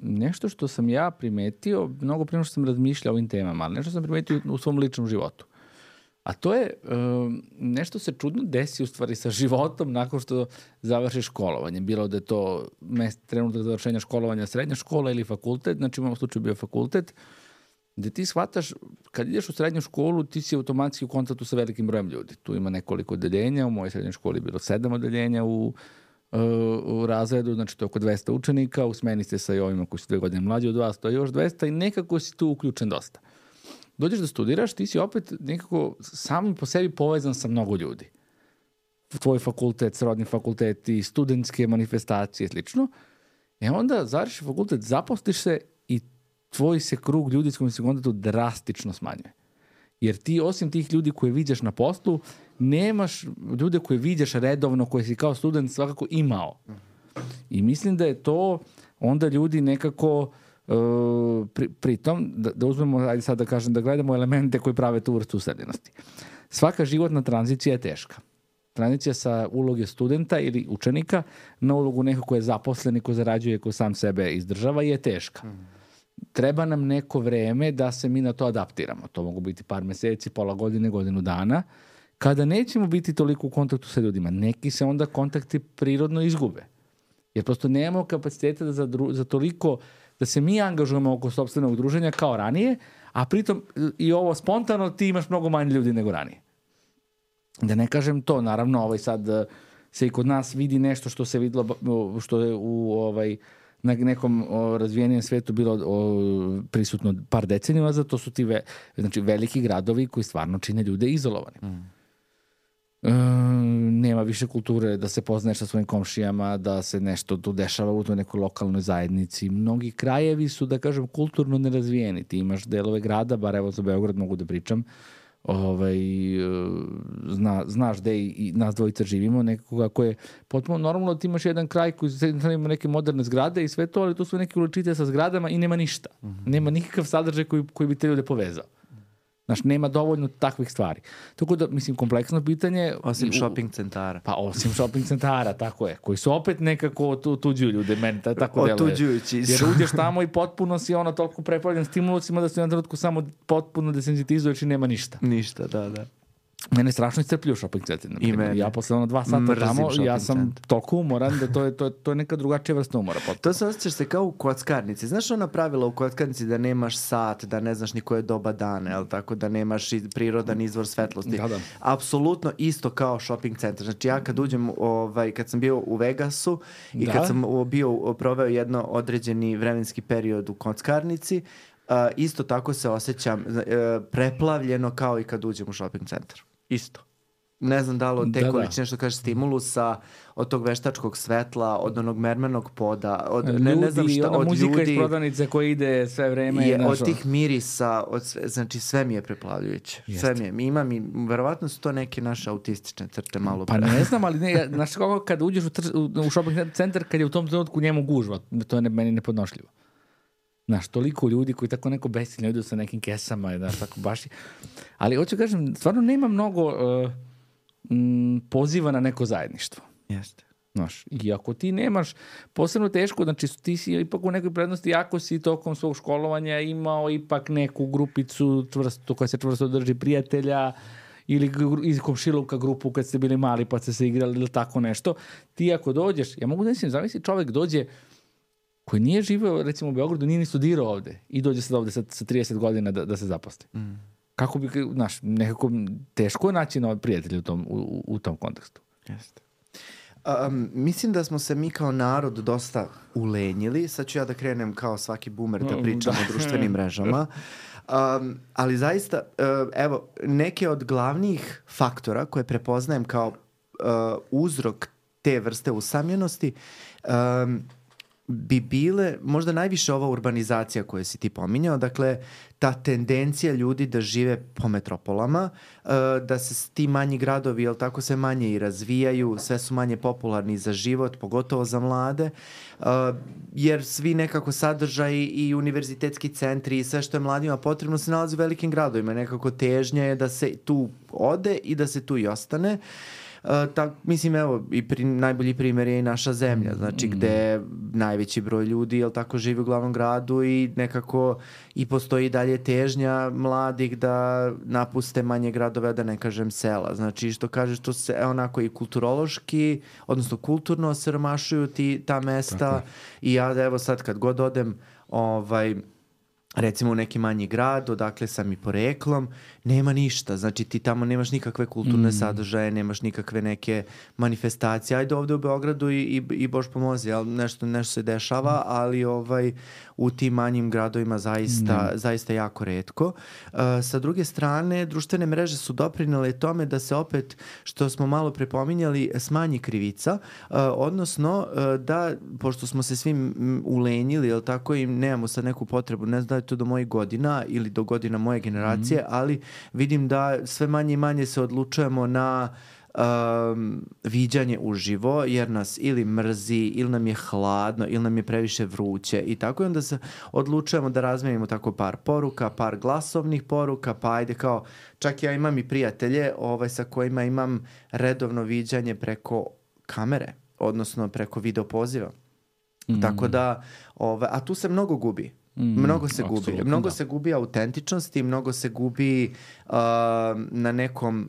nešto što sam ja primetio, mnogo prije što sam razmišljao o ovim temama, ali nešto sam primetio u svom ličnom životu. A to je, nešto se čudno desi u stvari sa životom nakon što završiš školovanje. Bilo da je to trenutak završenja školovanja srednja škola ili fakultet, znači u ovom slučaju bio fakultet, gde ti shvataš, kad ideš u srednju školu, ti si automatski u kontaktu sa velikim brojem ljudi. Tu ima nekoliko odeljenja, u mojoj srednjoj školi je bilo 7 odeljenja u razredu, znači to je oko 200 učenika, u smeni ste sa i ovima koji su 2 godine mlađi od vas, to je još 200 i nekako si tu uključen dosta. Dođeš da studiraš, ti si opet nekako sam po sebi povezan sa mnogo ljudi. Tvoj fakultet, srodni fakulteti, studentske manifestacije, slično. Onda završiš fakultet, zaposliš se i tvoj se krug ljudi s kojim se kontaktu drastično smanjuje. Jer ti osim tih ljudi koje viđaš na poslu, nemaš ljude koje viđaš redovno, koje si kao student svakako imao. I mislim da je to onda ljudi nekako pritom, da uzmemo, ajde sad da kažem, da gledamo elemente koji prave tu vrstu usamljenosti. Svaka životna tranzicija je teška. Tranzicija sa uloge studenta ili učenika na ulogu nekog ko je zaposlen i ko zarađuje, ko sam sebe izdržava je teška. Treba nam neko vreme da se mi na to adaptiramo. To mogu biti par meseci, pola godine, godinu dana, kada nećemo biti toliko u kontaktu sa ljudima. Neki se onda kontakti prirodno izgube. Jer prosto nemamo kapaciteta da za toliko da se mi angažujemo oko sopstvenog druženja kao ranije, a pritom i ovo spontano ti imaš mnogo manje ljudi nego ranije. Da ne kažem to, naravno, sad se i kod nas vidi nešto što se videlo, što je na nekom razvijenijem svetu bilo prisutno par decenija, zato su ti znači, veliki gradovi koji stvarno čine ljude izolovani. Nema više kulture da se poznaješ sa svojim komšijama, da se nešto tu dešava u toj nekoj lokalnoj zajednici. Mnogi krajevi su, da kažem, kulturno nerazvijeni. Ti imaš delove grada, bar evo za Beograd mogu da pričam, znaš gde i nas dvojica živimo, nekoga ko je potpuno normalno, ti imaš jedan kraj koji ima neke moderne zgrade i sve to, ali tu su neke uličice sa zgradama i nema ništa. Nema nikakav sadržaj koji bi te ljude povezao. Znaš, nema dovoljno takvih stvari. Tako da, mislim, kompleksno pitanje... Osim shopping centara. Pa, osim shopping centara, tako je. Koji su opet nekako otuđuju ljude, meni tako deluje. Otuđujući. Jer uđeš tamo i potpuno si toliko preplavljen stimulusima da se na trenutku samo potpuno desensitizuješ i nema ništa. Ništa, da. Mene strašno iscrpljuju shopping centar. Ja posle 2 sata tamo, ja sam toliko umoran da to je neka drugačija vrsta umora. To se osjećaš se kao u kockarnici. Znaš ona pravila u kockarnici da nemaš sat, da ne znaš ni koje doba dana, jel tako, da nemaš prirodan izvor svetlosti. Da. Apsolutno isto kao shopping centar. Znači ja kad uđem, kad sam bio u Vegasu i kad sam proveo jedno određeni vremenski period u kockarnici, isto tako se osjećam preplavljeno kao i kad uđem u shopping centar. Isto. Ne znam da li od te količine što kaže stimulusa, od tog veštačkog svetla, od onog mermernog poda, od ne znam šta, od muzika ljudi, iz prodavnice koja ide sve vreme. Od tih mirisa, znači sve mi je preplavljujuće. Sve mi je. Imam i verovatno su to neke naše autistične crte malo pre. Pa ne znam, ali znaš kako kad uđeš u shopping centar, kad je u tom trenutku njemu gužva, to je meni nepodnošljivo. Znaš, toliko ljudi koji tako neko besilno idu sa nekim kesama, znaš, tako baš. Ali hoću kažem, stvarno nema mnogo poziva na neko zajedništvo. Jeste. Znaš, i ako ti nemaš, posebno teško, znači ti si ipak u nekoj prednosti, ako si tokom svog školovanja imao ipak neku grupicu koja se čvrsto drži prijatelja, ili iz komšiluka grupu kad ste bili mali pa ste se igrali ili tako nešto, ti ako dođeš, ja mogu da mislim, zamisli čovjek dođe koji nije živeo, recimo u Beogradu, nije ni studirao ovde i dođe sad ovde sa 30 godina da se zaposli. Kako bi, znaš, nekako teško je naći nove prijatelje u tom kontekstu. Jeste. Mislim da smo se mi kao narod dosta ulenjili. Sad ću ja da krenem kao svaki boomer da pričam o društvenim mrežama. Ali zaista, evo, neke od glavnih faktora koje prepoznajem kao uzrok te vrste usamljenosti bi bile možda najviše ova urbanizacija koju si ti pominjao, dakle ta tendencija ljudi da žive po metropolama, da se ti manji gradovi, jel tako, sve manje i razvijaju, sve su manje popularni za život, pogotovo za mlade, jer svi nekako sadržaji i univerzitetski centri i sve što je mladima potrebno se nalazi u velikim gradovima, nekako težnja je da se tu ode i da se tu i ostane. Mislim, evo, najbolji primjer je i naša zemlja, znači gde najveći broj ljudi, jel tako, živi u glavnom gradu i nekako i postoji dalje težnja mladih da napuste manje gradove, da ne kažem sela. Znači, što kažeš, to se onako i kulturološki, odnosno kulturno osiromašuju ta mesta. I ja, evo sad kad god odem, recimo u neki manji grad, odakle sam i poreklom, nema ništa. Znači ti tamo nemaš nikakve kulturne sadržaje, nemaš nikakve neke manifestacije. Ajde ovde u Beogradu i Bož pomozi, ali nešto se dešava, ali u tim manjim gradovima zaista jako retko. Sa druge strane, društvene mreže su doprinele tome da se opet, što smo malo prepominjali, smanji krivica, odnosno da, pošto smo se svim ulenjili, jel tako, i nemamo sad neku potrebu, ne znam da je to do mojih godina ili do godina moje generacije, ali vidim da sve manje i manje se odlučujemo na viđanje uživo, jer nas ili mrzi, ili nam je hladno, ili nam je previše vruće i tako, i onda se odlučujemo da razmenimo tako par poruka, par glasovnih poruka, pa ajde kao, čak ja imam i prijatelje sa kojima imam redovno viđanje preko kamere, odnosno preko video poziva. Tako da, a tu se mnogo gubi. Mnogo se gubi. Mnogo se gubi autentičnosti, mnogo se gubi na nekom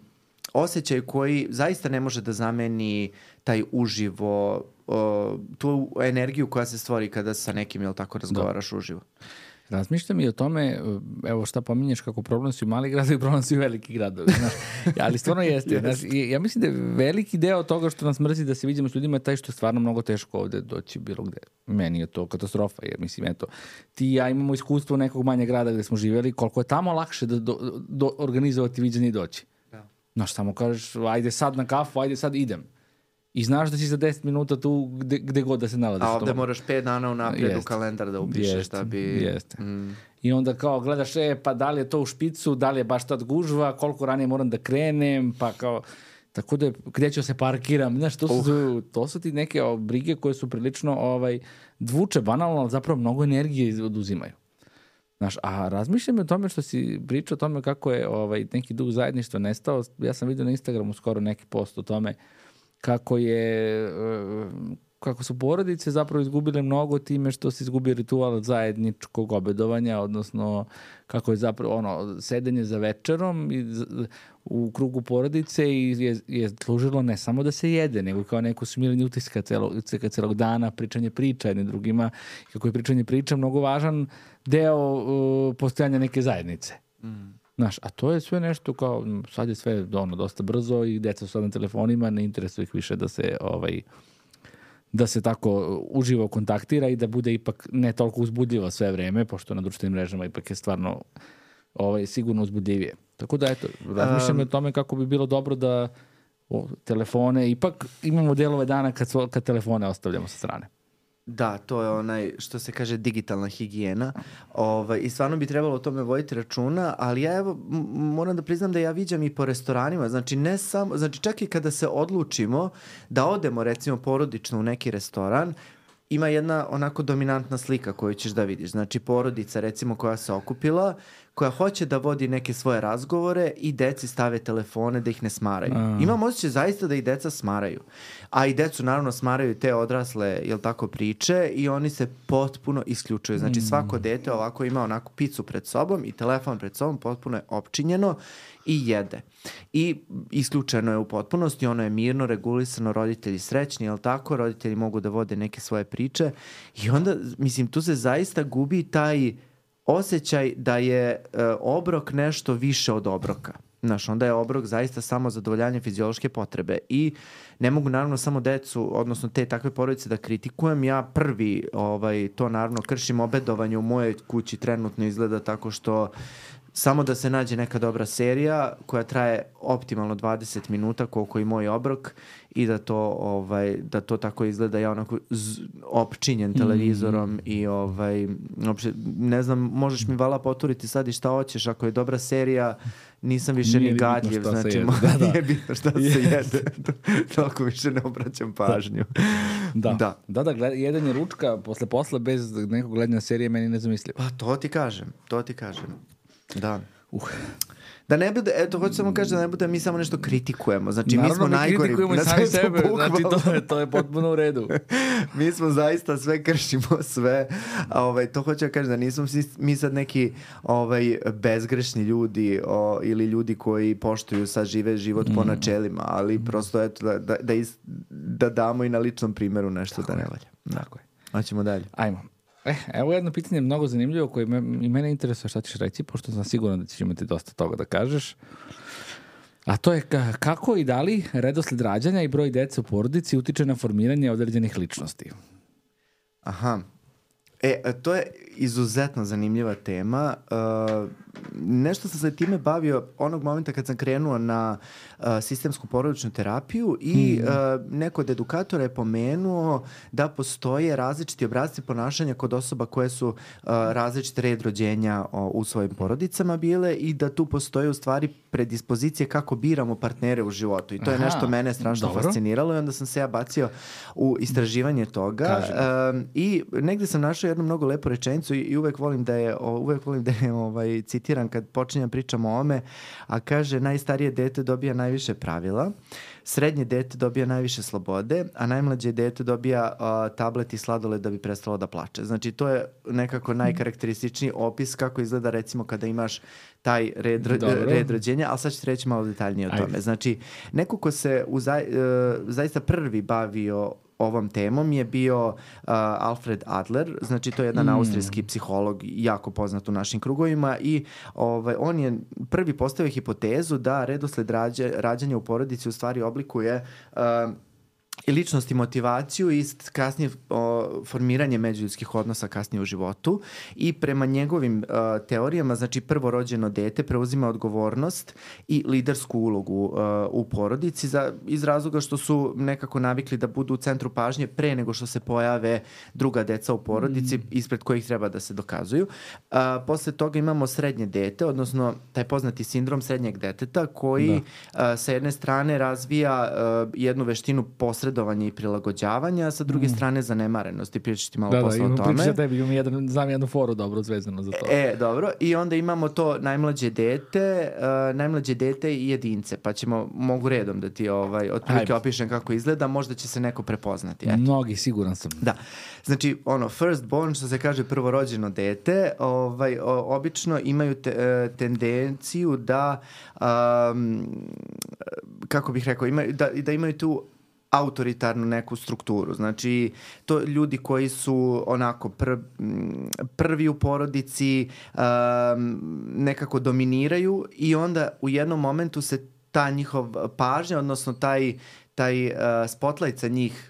osjećaju koji zaista ne može da zameni taj uživo, tu energiju koja se stvori kada sa nekim, jel tako, razgovaraš uživo. Razmišljam i o tome, evo šta pominješ kako problem su i mali gradovi, problem su i veliki gradovi, znaš. Ali stvarno jeste. Znaš, ja mislim da je veliki deo toga što nas mrzi da se vidimo s ljudima je taj što je stvarno mnogo teško ovde doći bilo gde. Meni je to katastrofa, jer mislim, eto, ti i ja imamo iskustvo nekog manjeg grada gde smo živjeli, koliko je tamo lakše da organizovati viđenje i doći. Da. Znaš, samo kažeš, ajde sad na kafu, ajde sad idem. I znaš da si za 10 minuta tu gde god da se nalaziš. A ovde moraš 5 dana unaprijed u kalendar da upišeš da bi... Jeste. I onda kao gledaš, pa da li je to u špicu, da li je baš tad gužva, koliko ranije moram da krenem, pa kao... Tako da, gde ću se parkiram, znaš, to su ti neke brige koje su prilično dvuče, banalno, ali zapravo mnogo energije oduzimaju. Znaš, a razmišljam o tome što si pričao o tome kako je neki duh zajedništva nestao. Ja sam vidio na Instagramu skoro neki post o tome kako su porodice zapravo izgubile mnogo time što se izgubio ritual zajedničkog obedovanja, odnosno kako je zapravo sedenje za večerom u krugu porodice i je služilo ne samo da se jede, nego kao neko smiranje utiska celog dana, pričanje priča jednim drugima, kako je pričanje priča mnogo važan deo postojanja neke zajednice. Znaš, a to je sve nešto kao, sad je sve dosta brzo i deca su na telefonima, ne interesuje ih više da se tako uživo kontaktira i da bude ipak ne toliko uzbudljivo sve vreme, pošto na društvenim mrežama ipak je stvarno sigurno uzbudljivije. Tako da, eto, razmišljam o tome kako bi bilo dobro da telefone, ipak imamo delove dana kad telefone ostavljamo sa strane. Da, to je što se kaže digitalna higijena i stvarno bi trebalo o tome voditi računa, ali ja evo moram da priznam da ja viđam i po restoranima, znači ne samo, znači čak i kada se odlučimo da odemo recimo porodično u neki restoran, ima jedna onako dominantna slika koju ćeš da vidiš, znači porodica recimo koja se okupila, koja hoće da vodi neke svoje razgovore i deci stave telefone da ih ne smaraju. Imam osjećaj zaista da i deca smaraju. A i decu naravno smaraju te odrasle, jel tako, priče i oni se potpuno isključuju. Znači svako dete ovako ima onako picu pred sobom i telefon pred sobom, potpuno je opčinjeno i jede. I isključeno je u potpunosti, ono je mirno, regulisano, roditelji srećni, jel tako, roditelji mogu da vode neke svoje priče i onda, mislim, tu se zaista gubi taj osjećaj da je obrok nešto više od obroka. Znaš, onda je obrok zaista samo zadovoljanje fiziološke potrebe i ne mogu naravno samo decu, odnosno te takve porodice da kritikujem. Ja prvi to naravno kršim. Obedovanje u mojoj kući trenutno izgleda tako što samo da se nađe neka dobra serija koja traje optimalno 20 minuta koliko i moj obrok i da to tako izgleda, ja onako opčinjen televizorom i uopšte, ne znam, možeš mi vala poturiti sad i šta hoćeš, ako je dobra serija nisam više ni gadljiv, znači nije bitno šta se jede, toliko više ne obraćam pažnju. Da, jedanje ručka posle posla bez nekog gledanja serije meni nezamislivo. Pa to ti kažem. Da. Da ne bude, eto, hoću samo kažem da ne bude mi samo nešto kritikujemo. Znači, naravno, mi smo najgori. Kritikujemo i sami sebe, znači to je potpuno u redu. Mi smo zaista sve kršimo, sve. To hoću da kažem da nismo mi sad neki bezgrešni ljudi ili ljudi koji poštuju sad žive život po načelima, ali prosto eto da damo i na ličnom primjeru nešto da ne valja. Tako je. Hoćemo dalje. Ajmo. Evo jedno pitanje mnogo zanimljivo koje i mene interesuje šta ćeš reći, pošto sam siguran da ćeš imati dosta toga da kažeš. A to je kako i da li redosled rađanja i broj dece u porodici utiče na formiranje određenih ličnosti? Aha. To je izuzetno zanimljiva tema. Nešto sam se time bavio onog momenta kad sam krenuo na sistemsku porodičnu terapiju i neko od edukatora je pomenuo da postoje različiti obrasci ponašanja kod osoba koje su različite red rođenja u svojim porodicama bile i da tu postoje u stvari predispozicije kako biramo partnere u životu. I to je nešto mene strašno fasciniralo i onda sam se ja bacio u istraživanje toga. I negde sam našao jednu mnogo lepu rečenicu i uvek volim da je citiram kad počinjem pričam o ome, a kaže najstarije dete dobija najviše pravila, srednje dete dobija najviše slobode, a najmlađe dete dobija tablet i sladoled da bi prestalo da plače. Znači to je nekako najkarakterističniji opis kako izgleda recimo kada imaš taj red rođenja, ali sad ću reći malo detaljnije o tome. Znači neko ko se zaista prvi bavio ovom temom je bio Alfred Adler, znači to je jedan austrijski psiholog jako poznat u našim krugovima i on je prvi postavio hipotezu da redosled rađanja u porodici u stvari oblikuje i ličnost i motivaciju i kasnije formiranje međuljudskih odnosa kasnije u životu i prema njegovim teorijama, znači prvorođeno dete preuzima odgovornost i lidersku ulogu u porodici iz razloga što su nekako navikli da budu u centru pažnje pre nego što se pojave druga deca u porodici ispred kojih treba da se dokazuju. Posle toga imamo srednje dete, odnosno taj poznati sindrom srednjeg deteta koji sa jedne strane razvija jednu veštinu posredovanja i prilagođavanja, a sa druge strane zanemarenosti. Pričati ti malo posle o tome. Pričati tebi, znam jednu foru dobro zvezano za to. Dobro. I onda imamo to najmlađe dete i jedince. Pa mogu redom da ti otprilike opišem kako izgleda. Možda će se neko prepoznati. Eto. Mnogi, siguran sam. Da. Znači, first born, što se kaže prvorođeno dete, obično imaju tendenciju da kako bih rekao, da imaju tu autoritarnu neku strukturu. Znači, to ljudi koji su onako prvi u porodici nekako dominiraju i onda u jednom momentu se ta njihov pažnja, odnosno taj spotlight sa njih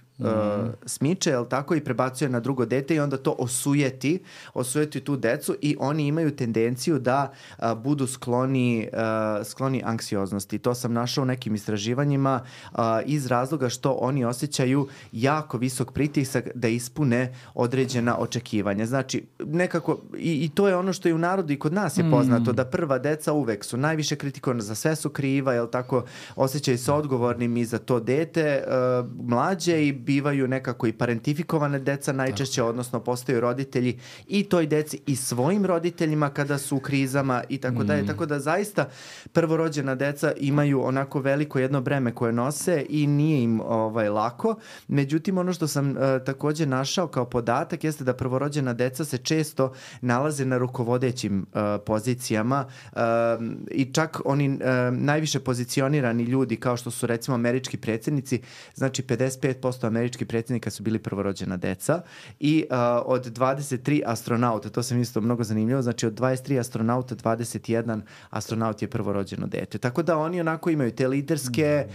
smiče, jel tako, i prebacuje na drugo dete i onda to osujeti tu decu i oni imaju tendenciju da budu skloni anksioznosti. To sam našao u nekim istraživanjima iz razloga što oni osjećaju jako visok pritisak da ispune određena očekivanja. Znači, nekako, i to je ono što je u narodu i kod nas je poznato, da prva deca uvek su najviše kritikovana, za sve su kriva, jel tako, osjećaju se odgovornim i za to dete, mlađe i bivaju nekako i parentifikovane deca najčešće, odnosno postaju roditelji i toj deci i svojim roditeljima kada su u krizama i tako dalje. Tako da zaista prvorođena deca imaju onako veliko jedno breme koje nose i nije im lako. Međutim, ono što sam također našao kao podatak jeste da prvorođena deca se često nalaze na rukovodećim pozicijama i čak oni najviše pozicionirani ljudi kao što su recimo američki predsjednici, znači 55% američkih predsjednika su bili prvorođena deca i od 23 astronauta, to sam isto mnogo zanimljivo, znači od 23 astronauta 21 astronaut je prvorođeno dete. Tako da oni onako imaju te liderske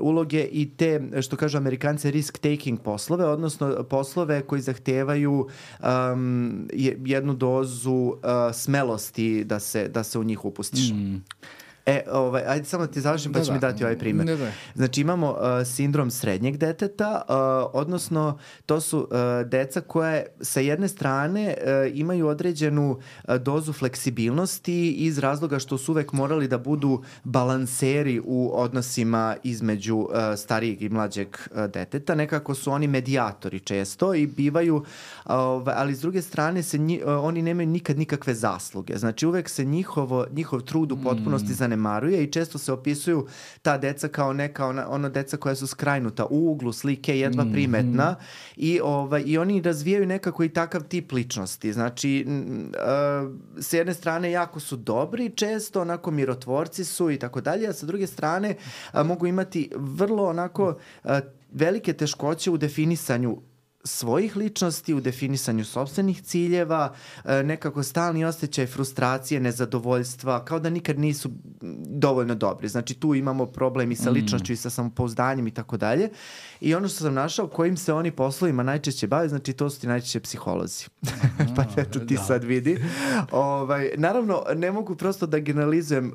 uloge i te, što kažu Amerikanci, risk-taking poslove, odnosno poslove koji zahtevaju jednu dozu smelosti da se u njih upustiš. Ajde samo da ti završim pa ću mi dati ovaj primjer. Znači imamo sindrom srednjeg deteta, odnosno to su deca koje sa jedne strane imaju određenu dozu fleksibilnosti iz razloga što su uvek morali da budu balanseri u odnosima između starijeg i mlađeg deteta. Nekako su oni medijatori često i bivaju, ali s druge strane oni nemaju nikad nikakve zasluge. Znači uvek se njihov trud u potpunosti zanemaruje i često se opisuju ta deca kao neka ono deca koja su skrajnuta u uglu slike, jedva primetna i oni razvijaju nekako i takav tip ličnosti. Znači, s jedne strane jako su dobri, često onako mirotvorci su i tako dalje, a sa druge strane mogu imati vrlo onako velike teškoće u definisanju svojih ličnosti, u definisanju sopstvenih ciljeva, nekako stalni osjećaj frustracije, nezadovoljstva, kao da nikad nisu dovoljno dobri. Znači tu imamo problem i sa ličnošću i sa samopouzdanjem i tako dalje. I ono što sam našao, kojim se oni poslovima najčešće bave, znači to su ti najčešće psiholozi. Pa eto ti sad vidi. Naravno, ne mogu prosto da generalizujem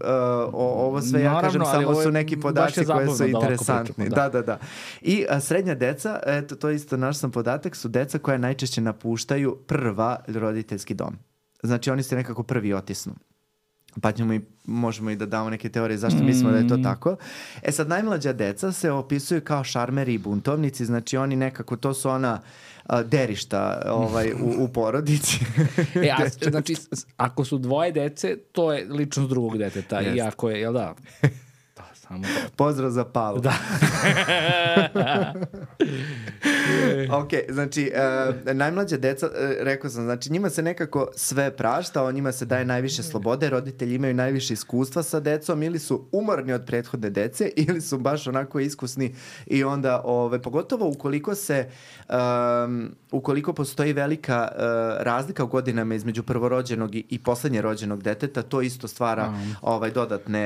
ovo sve, ja kažem samo su neki podaci koji su interesantni. Da. I srednja deca, eto to isto naš sam podatak, su deca koja najčešće napuštaju prva roditeljski dom. Znači oni se nekako prvi otisnu. Pa možemo i da damo neke teorije zašto mislimo da je to tako. Sad, najmlađa deca se opisuju kao šarmeri i buntovnici, znači oni nekako, to su ona derišta u porodici. Znači, ako su dvoje dece, to je ličnost drugog deteta. I ako je, jel da? Pozdrav za Pavu. Da. Ok, znači, najmlađa deca, rekao sam, znači njima se nekako sve prašta, njima se daje najviše slobode, roditelji imaju najviše iskustva sa decom, ili su umorni od prethodne dece, ili su baš onako iskusni i onda, pogotovo ukoliko postoji velika razlika u godinama između prvorođenog i poslednje rođenog deteta, to isto stvara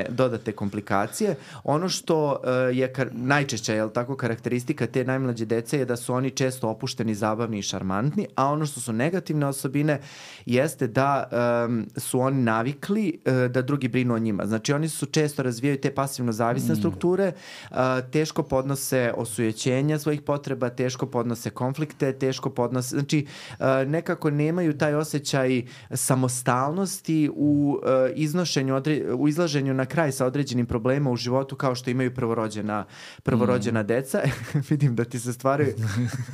dodatne komplikacije. Ono što je najčešća, je li tako, karakteristika te najmlađe dece je da su oni često opušteni, zabavni i šarmantni, a ono što su negativne osobine jeste da su oni navikli da drugi brinu o njima. Znači oni su često razvijaju te pasivno zavisne strukture, teško podnose osujećenja svojih potreba, teško podnose konflikte, teško podnose, znači nekako nemaju taj osjećaj samostalnosti u izlaženju na kraj sa određenim problemima u životu kao što imaju prvorođena deca. Vidim da ti se stvari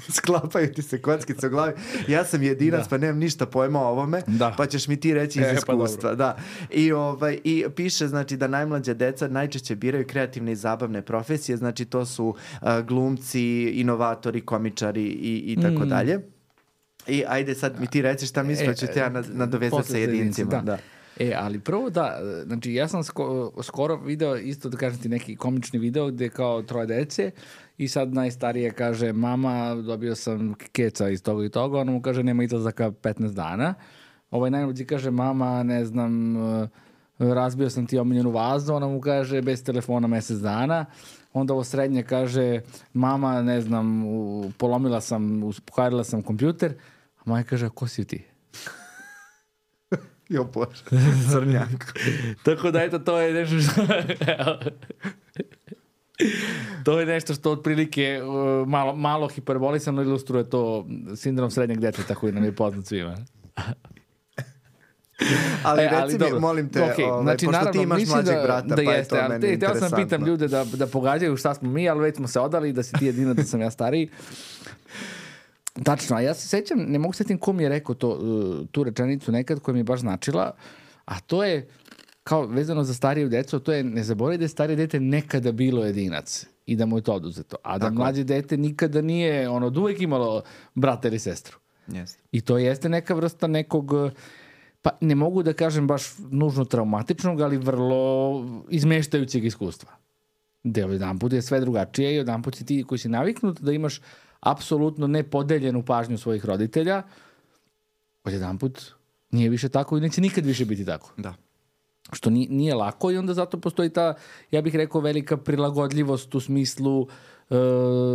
sklapaju ti se kockice u glavi. Ja sam jedinac, pa nemam ništa pojma o ovome, pa ćeš mi ti reći iz iskustva. Pa da. I piše, znači, da najmlađa deca najčešće biraju kreativne i zabavne profesije, znači to su glumci, inovatori, komičari i tako dalje. I ajde sad mi ti reći šta misliš, pa ću te ja nadovezati sa jedincima. Da. Ali prvo znači ja sam skoro video isto, da kažem ti, neki komični video gde kao 3 dece i sad najstarije kaže, mama, dobio sam keca iz toga i toga, ona mu kaže, nema izlazaka 15 dana. Najmlađi kaže, mama, ne znam, razbio sam ti omiljenu vazu, ona mu kaže, bez telefona mesec dana. Onda ovo srednje kaže, mama, ne znam, pokvarila sam kompjuter, a maja kaže, a ko si ti? Jo bože, crnjak. Tako da eto, to je nešto što... To je nešto što otprilike malo hiperbolisano ilustruje to sindrom srednjeg deteta koji nam je poznat svima. Ali reci mi, molim te, znači, pošto naravno, ti imaš mlađeg brata, pa je to meni interesantno. Htio sam pitam ljude da pogađaju šta smo mi, ali već smo se odali da si ti jedina, da sam ja stariji. Tačno, a ja se sećam, ne mogu setim ko mi je rekao tu rečenicu nekad koja mi je baš značila, a to je, kao vezano za stariju decu, to je, ne zaboravi da je starije dete nekada bilo jedinac i da mu je to oduzeto, a da mlađe dete nikada nije, od uvek imalo brata ili sestru. Yes. I to jeste neka vrsta nekog, pa ne mogu da kažem baš nužno traumatičnog, ali vrlo izmeštajućeg iskustva. Gde jedan put je sve drugačije i jedan put si ti koji si naviknut da imaš apsolutno nepodeljenu pažnju svojih roditelja, jedan put nije više tako i neće nikad više biti tako. Da. Što nije lako i onda zato postoji ta, ja bih rekao, velika prilagodljivost u smislu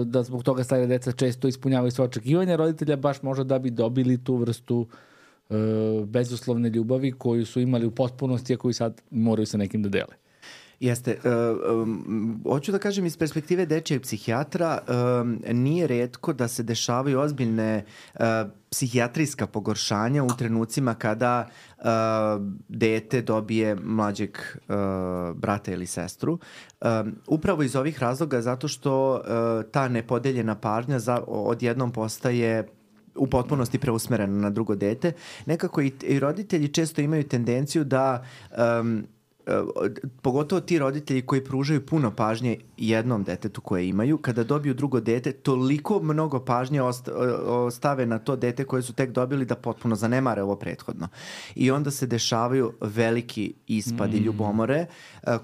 da zbog toga stare deca često ispunjavaju svoje očekivanja roditelja, baš možda da bi dobili tu vrstu bezuslovne ljubavi koju su imali u potpunosti, a koju sad moraju sa nekim da dele. Jeste. Hoću da kažem iz perspektive dečijeg psihijatra, nije retko da se dešavaju ozbiljne psihijatrijska pogoršanja u trenucima kada dete dobije mlađeg brata ili sestru. Upravo iz ovih razloga, zato što ta nepodeljena pažnja odjednom postaje u potpunosti preusmerena na drugo dete. Nekako i roditelji često imaju tendenciju da pogotovo ti roditelji koji pružaju puno pažnje jednom detetu koje imaju, kada dobiju drugo dete, toliko mnogo pažnje ostave na to dete koje su tek dobili da potpuno zanemare ovo prethodno. I onda se dešavaju veliki ispadi ljubomore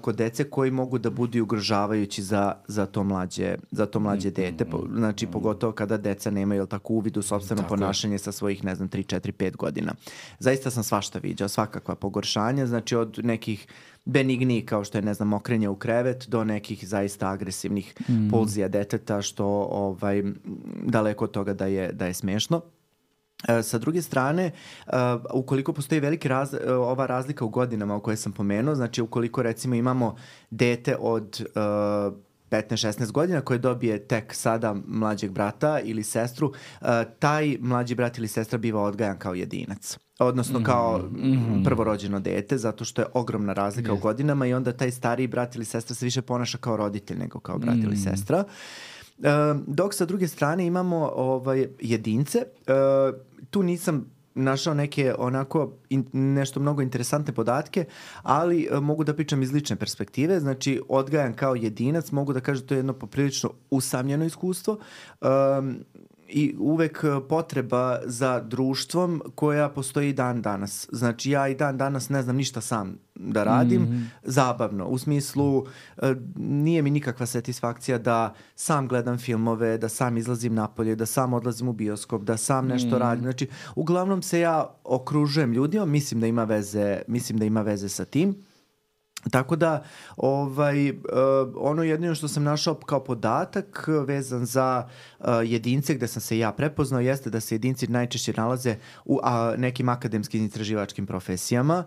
kod dece koji mogu da budu ugrožavajući za to mlađe dete. Znači, pogotovo kada deca nemaju tako uvid u sopstveno ponašanje sa svojih, 3, 4, 5 godina. Zaista sam svašta viđao, svakakva pogoršanja, znači od nekih benigni kao što je, mokrenje u krevet, do nekih zaista agresivnih pulzija deteta, što daleko od toga da je smešno. Sa druge strane, ukoliko postoji ova razlika u godinama o kojoj sam pomenuo, znači ukoliko recimo imamo dete od 15-16 godina koje dobije tek sada mlađeg brata ili sestru, taj mlađi brat ili sestra biva odgajan kao jedinac. Odnosno kao prvorođeno dete, zato što je ogromna razlika u godinama i onda taj stariji brat ili sestra se više ponaša kao roditelj nego kao brat ili sestra. Dok sa druge strane imamo jedince, tu nisam našao neke nešto mnogo interesantne podatke, ali mogu da pričam iz lične perspektive. Znači, odgajan kao jedinac, mogu da kažem to je jedno poprilično usamljeno iskustvo. i uvek potreba za društvom koja postoji i dan danas. Znači ja i dan danas ne znam ništa sam da radim, zabavno. U smislu nije mi nikakva satisfakcija da sam gledam filmove, da sam izlazim napolje, da sam odlazim u bioskop, da sam nešto radim. Znači uglavnom se ja okružujem ljudima, mislim da ima veze sa tim. Tako da, ono jedino što sam našao kao podatak vezan za jedince gde sam se ja prepoznao jeste da se jedinci najčešće nalaze u nekim akademskim istraživačkim profesijama,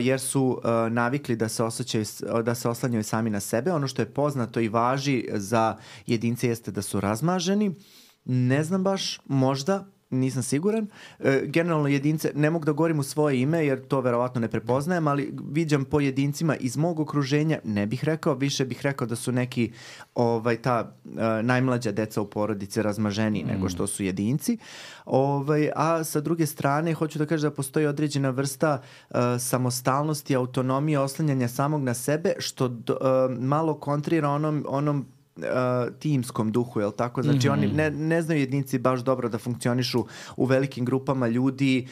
jer su navikli da se oslanjaju sami na sebe. Ono što je poznato i važi za jedince jeste da su razmaženi. Ne znam baš, možda, nisam siguran. Generalno jedince, ne mogu da govorim u svoje ime jer to verovatno ne prepoznajem, ali viđam po jedincima iz mog okruženja, ne bih rekao, više bih rekao da su neki najmlađa deca u porodici razmaženiji nego što su jedinci. A sa druge strane, hoću da kažem da postoji određena vrsta samostalnosti, autonomije, oslanjanja samog na sebe, što malo kontrira onom timskom duhu, jel tako? Znači oni ne znaju jedinci baš dobro da funkcionišu u velikim grupama ljudi,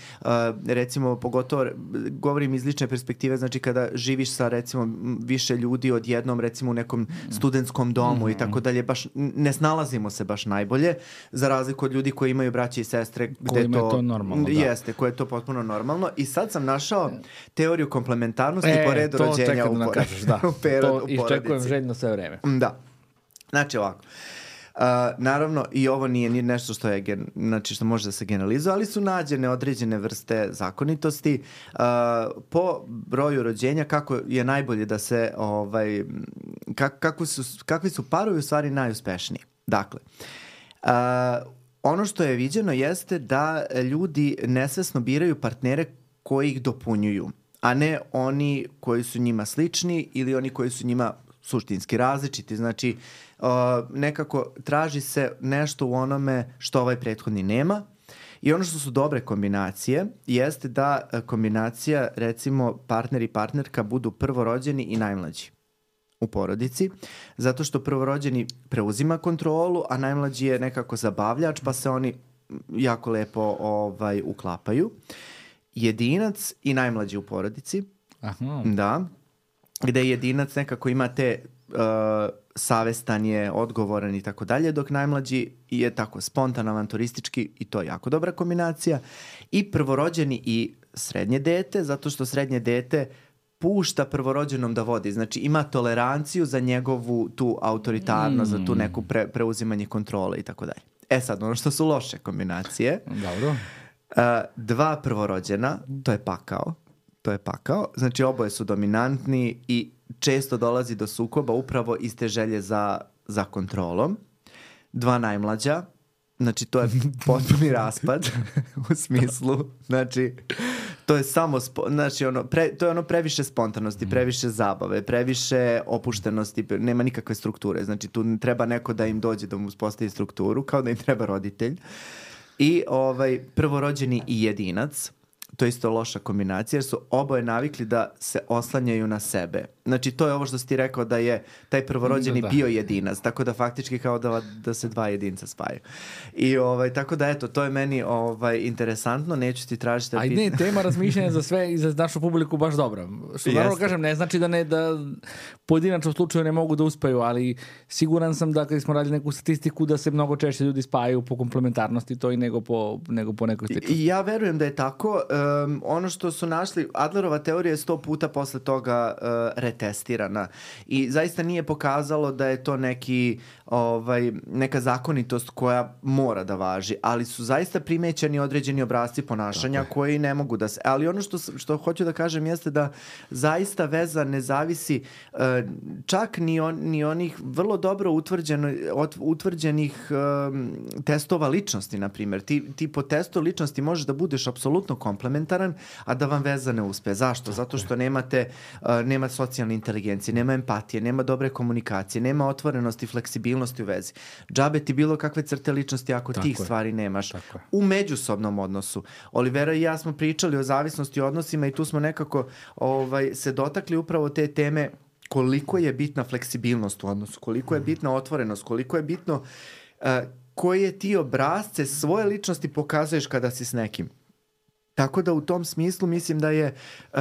recimo pogotovo govorim iz lične perspektive, znači kada živiš sa recimo više ljudi odjednom, recimo u nekom studentskom domu i tako dalje, baš ne snalazimo se baš najbolje, za razliku od ljudi koji imaju braće i sestre kojima je to normalno, jeste, koje je to potpuno normalno. I sad sam našao teoriju komplementarnosti po redu rođenja u porodici. Iščekujem željno sve vreme. Da. Znači ovako, naravno i ovo nije ni nešto što može da se generalizuje, ali su nađene određene vrste zakonitosti po broju rođenja, kako je najbolje da se, kakvi su parovi u stvari najuspešniji. Dakle, ono što je viđeno jeste da ljudi nesvesno biraju partnere koji ih dopunjuju, a ne oni koji su njima slični ili oni koji su njima suštinski različiti. Znači, nekako traži se nešto u onome što ovaj prethodni nema. I ono što su dobre kombinacije jeste da kombinacija, recimo, partner i partnerka budu prvorođeni i najmlađi u porodici, zato što prvorođeni preuzima kontrolu, a najmlađi je nekako zabavljač, pa se oni jako lepo uklapaju. Jedinac i najmlađi u porodici. Aha. Da. Gde jedinac nekako ima te savestan je, odgovoran i tako dalje, dok najmlađi je tako spontan, avanturistički i to je jako dobra kombinacija. I prvorođeni i srednje dete, zato što srednje dete pušta prvorođenom da vodi. Znači ima toleranciju za njegovu tu autoritarnost, za tu neku preuzimanje kontrole i tako dalje. Sad, ono što su loše kombinacije. Dobro. 2 prvorođena, to je pakao. Znači oboje su dominantni i često dolazi do sukoba upravo iz te želje za kontrolom. 2 najmlađa, znači to je potpuni raspad u smislu, znači to je samo, to je ono previše spontanosti, previše zabave, previše opuštenosti, nema nikakve strukture, znači tu treba neko da im dođe da mu uspostavi strukturu, kao da im treba roditelj. I prvorođeni i jedinac, to je isto loša kombinacija jer su oboje navikli da se oslanjaju na sebe. Znači to je ovo što si ti rekao da je taj prvorođeni bio jedinac, tako da faktički kao da se 2 jedinca spaju. I tako da eto, to je meni interesantno, neću ti tražiti... Ne, tema razmišljanja za sve i za našu publiku baš dobra. Što naravno kažem, ne znači da pojedinačno slučaju ne mogu da uspeju, ali siguran sam da kada smo radili neku statistiku da se mnogo češće ljudi spajaju po komplementarnosti to i nego po nekoj sličnosti. Ja verujem da je tako. Ono što su našli, Adlerova teorija je 100 puta posle toga retestirana i zaista nije pokazalo da je to neka zakonitost koja mora da važi, ali su zaista primećeni određeni obrasci ponašanja koji ne mogu da se... Ali ono što hoću da kažem jeste da zaista veza ne zavisi čak ni onih vrlo dobro utvrđenih testova ličnosti, na primjer. Ti po testu ličnosti možeš da budeš apsolutno komplementaran, a da vam veza ne uspe. Zašto? Zato što nema socijalne inteligencije, nema empatije, nema dobre komunikacije, nema otvorenosti, fleksibilnosti u vezi. Džabe ti bilo kakve crte ličnosti ako tih stvari nemaš. U međusobnom odnosu. Olivera i ja smo pričali o zavisnosti u odnosima i tu smo nekako se dotakli upravo te teme koliko je bitna fleksibilnost u odnosu, koliko je bitna otvorenost, koliko je bitno koje ti obrazce svoje ličnosti pokazuješ kada si s nekim. Tako da u tom smislu mislim da je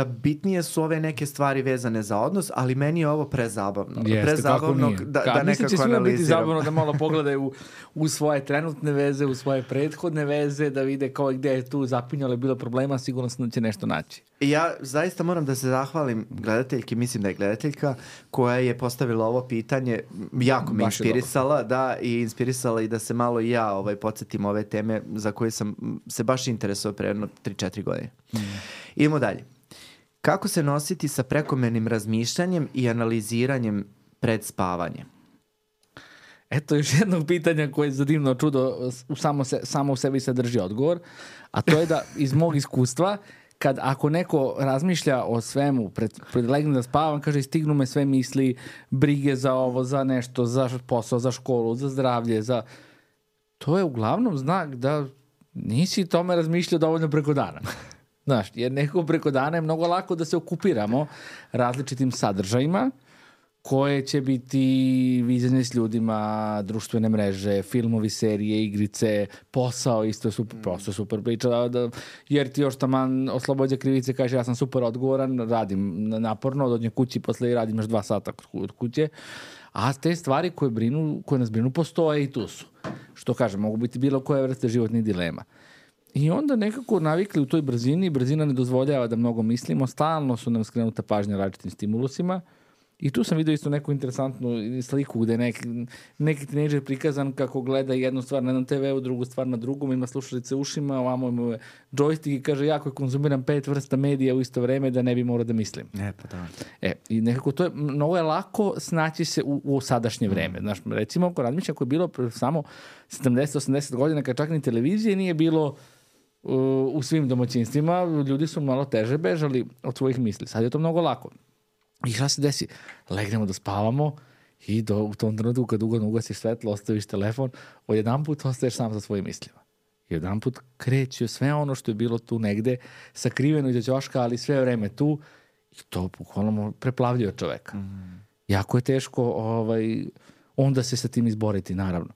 bitnije su ove neke stvari vezane za odnos, ali meni je ovo prezabavno. Prezabavno da mislim će nekako svima biti analiziram. zabavno da malo pogledaju u svoje trenutne veze, u svoje prethodne veze, da vide kao gde je tu zapinjalo, bilo problema, sigurno da će nešto naći. Ja zaista moram da se zahvalim gledateljki, mislim da je gledateljka, koja je postavila ovo pitanje, jako me inspirisala, da, i inspirisala i da se malo i ja podsjetim ove teme za koje sam se baš interesovao pre jedno 3-4 godine. Idemo dalje. Kako se nositi sa prekomernim razmišljanjem i analiziranjem pred spavanje? Eto još jednog pitanja koje za divno čudo samo u sebi sadrži odgovor, a to je da iz mog iskustva, ako neko razmišlja o svemu, pred legnem da spavam, kaže, stignu me sve misli, brige za ovo, za nešto, za posao, za školu, za zdravlje, to je uglavnom znak da nisi tome razmišljao dovoljno preko dana. Znaš, jer nekako preko dana je mnogo lako da se okupiramo različitim sadržajima koje će biti viđanje s ljudima, društvene mreže, filmovi, serije, igrice, posao, isto je super priča, jer ti još taman oslobođa krivice, kaže ja sam super odgovoran, radim naporno, dođem kući posle i radim još 2 sata od kuće, a te stvari koje nas brinu postoje i tu su. Što kažem, mogu biti bilo koje vrste životnih dilema. I onda nekako navikli u toj brzini, brzina ne dozvoljava da mnogo mislimo, stalno su nam skrenuta pažnja različitim stimulusima. I tu sam vidio isto neku interesantnu sliku gde neki tinejdžer prikazan kako gleda jednu stvar na jednom TV-u, drugu stvar na drugom, ima slušalice ušima, ovamo ima joystick i kaže jako konzumiram 5 vrsta medija u isto vreme da ne bi morao da mislim. I nekako to je, mnogo je lako snaći se u sadašnje vreme. Znaš, recimo, ako razmišljam, ako je bilo samo 70-80 godina, kad čak ni televizije nije bilo u svim domaćinstvima, ljudi su malo teže bežali od svojih misli. Sad je to mnogo lako. I šta se desi? Legnemo da spavamo i u tom trenutku kad ugodno ugasiš svetlo, ostaviš telefon, odjedanput ostaješ sam sa svojim mislima. I odjedanput kreće sve ono što je bilo tu negde, sakriveno iza ćoška, ali sve vreme tu, i to bukvalno preplavljuje čoveka. Jako je teško onda se sa tim izboriti, naravno.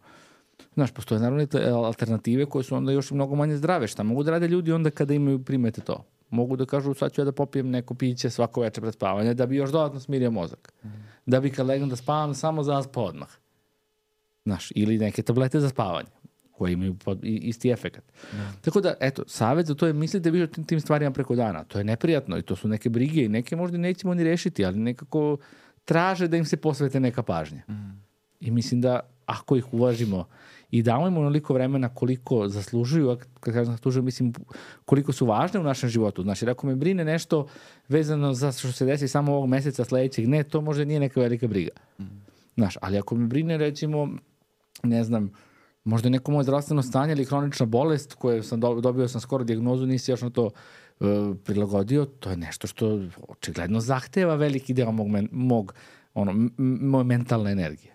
Znaš, postoje naravno alternative koje su onda još mnogo manje zdrave. Šta mogu da rade ljudi onda kada imaju primete to? Mogu da kažu, sad ću ja da popijem neko piće svako večer pred spavanje, da bi još dodatno smirio mozak. Da bi kad legnem da spavam, samo zaspao odmah. Znaš, ili neke tablete za spavanje, koje imaju isti efekat. Tako da, eto, savjet za to je mislite vi o tim stvarima preko dana. To je neprijatno i to su neke brige i neke možda nećemo ni rešiti, ali nekako traže da im se posvete neka pažnja. I mislim da ako ih uvažimo i damo im onoliko vremena koliko zaslužuju, kad kažem zaslužuju, mislim koliko su važne u našem životu. Znači, ako me brine nešto vezano za što se desi samo ovog meseca sledećeg, ne, to možda nije neka velika briga. Znaš, ali ako me brine, recimo, ne znam, možda neko moje zdravstveno stanje ili hronična bolest koje sam dobio sam skoro dijagnozu, nisi još na to prilagodio, to je nešto što očigledno zahteva veliki deo moje mentalne energije.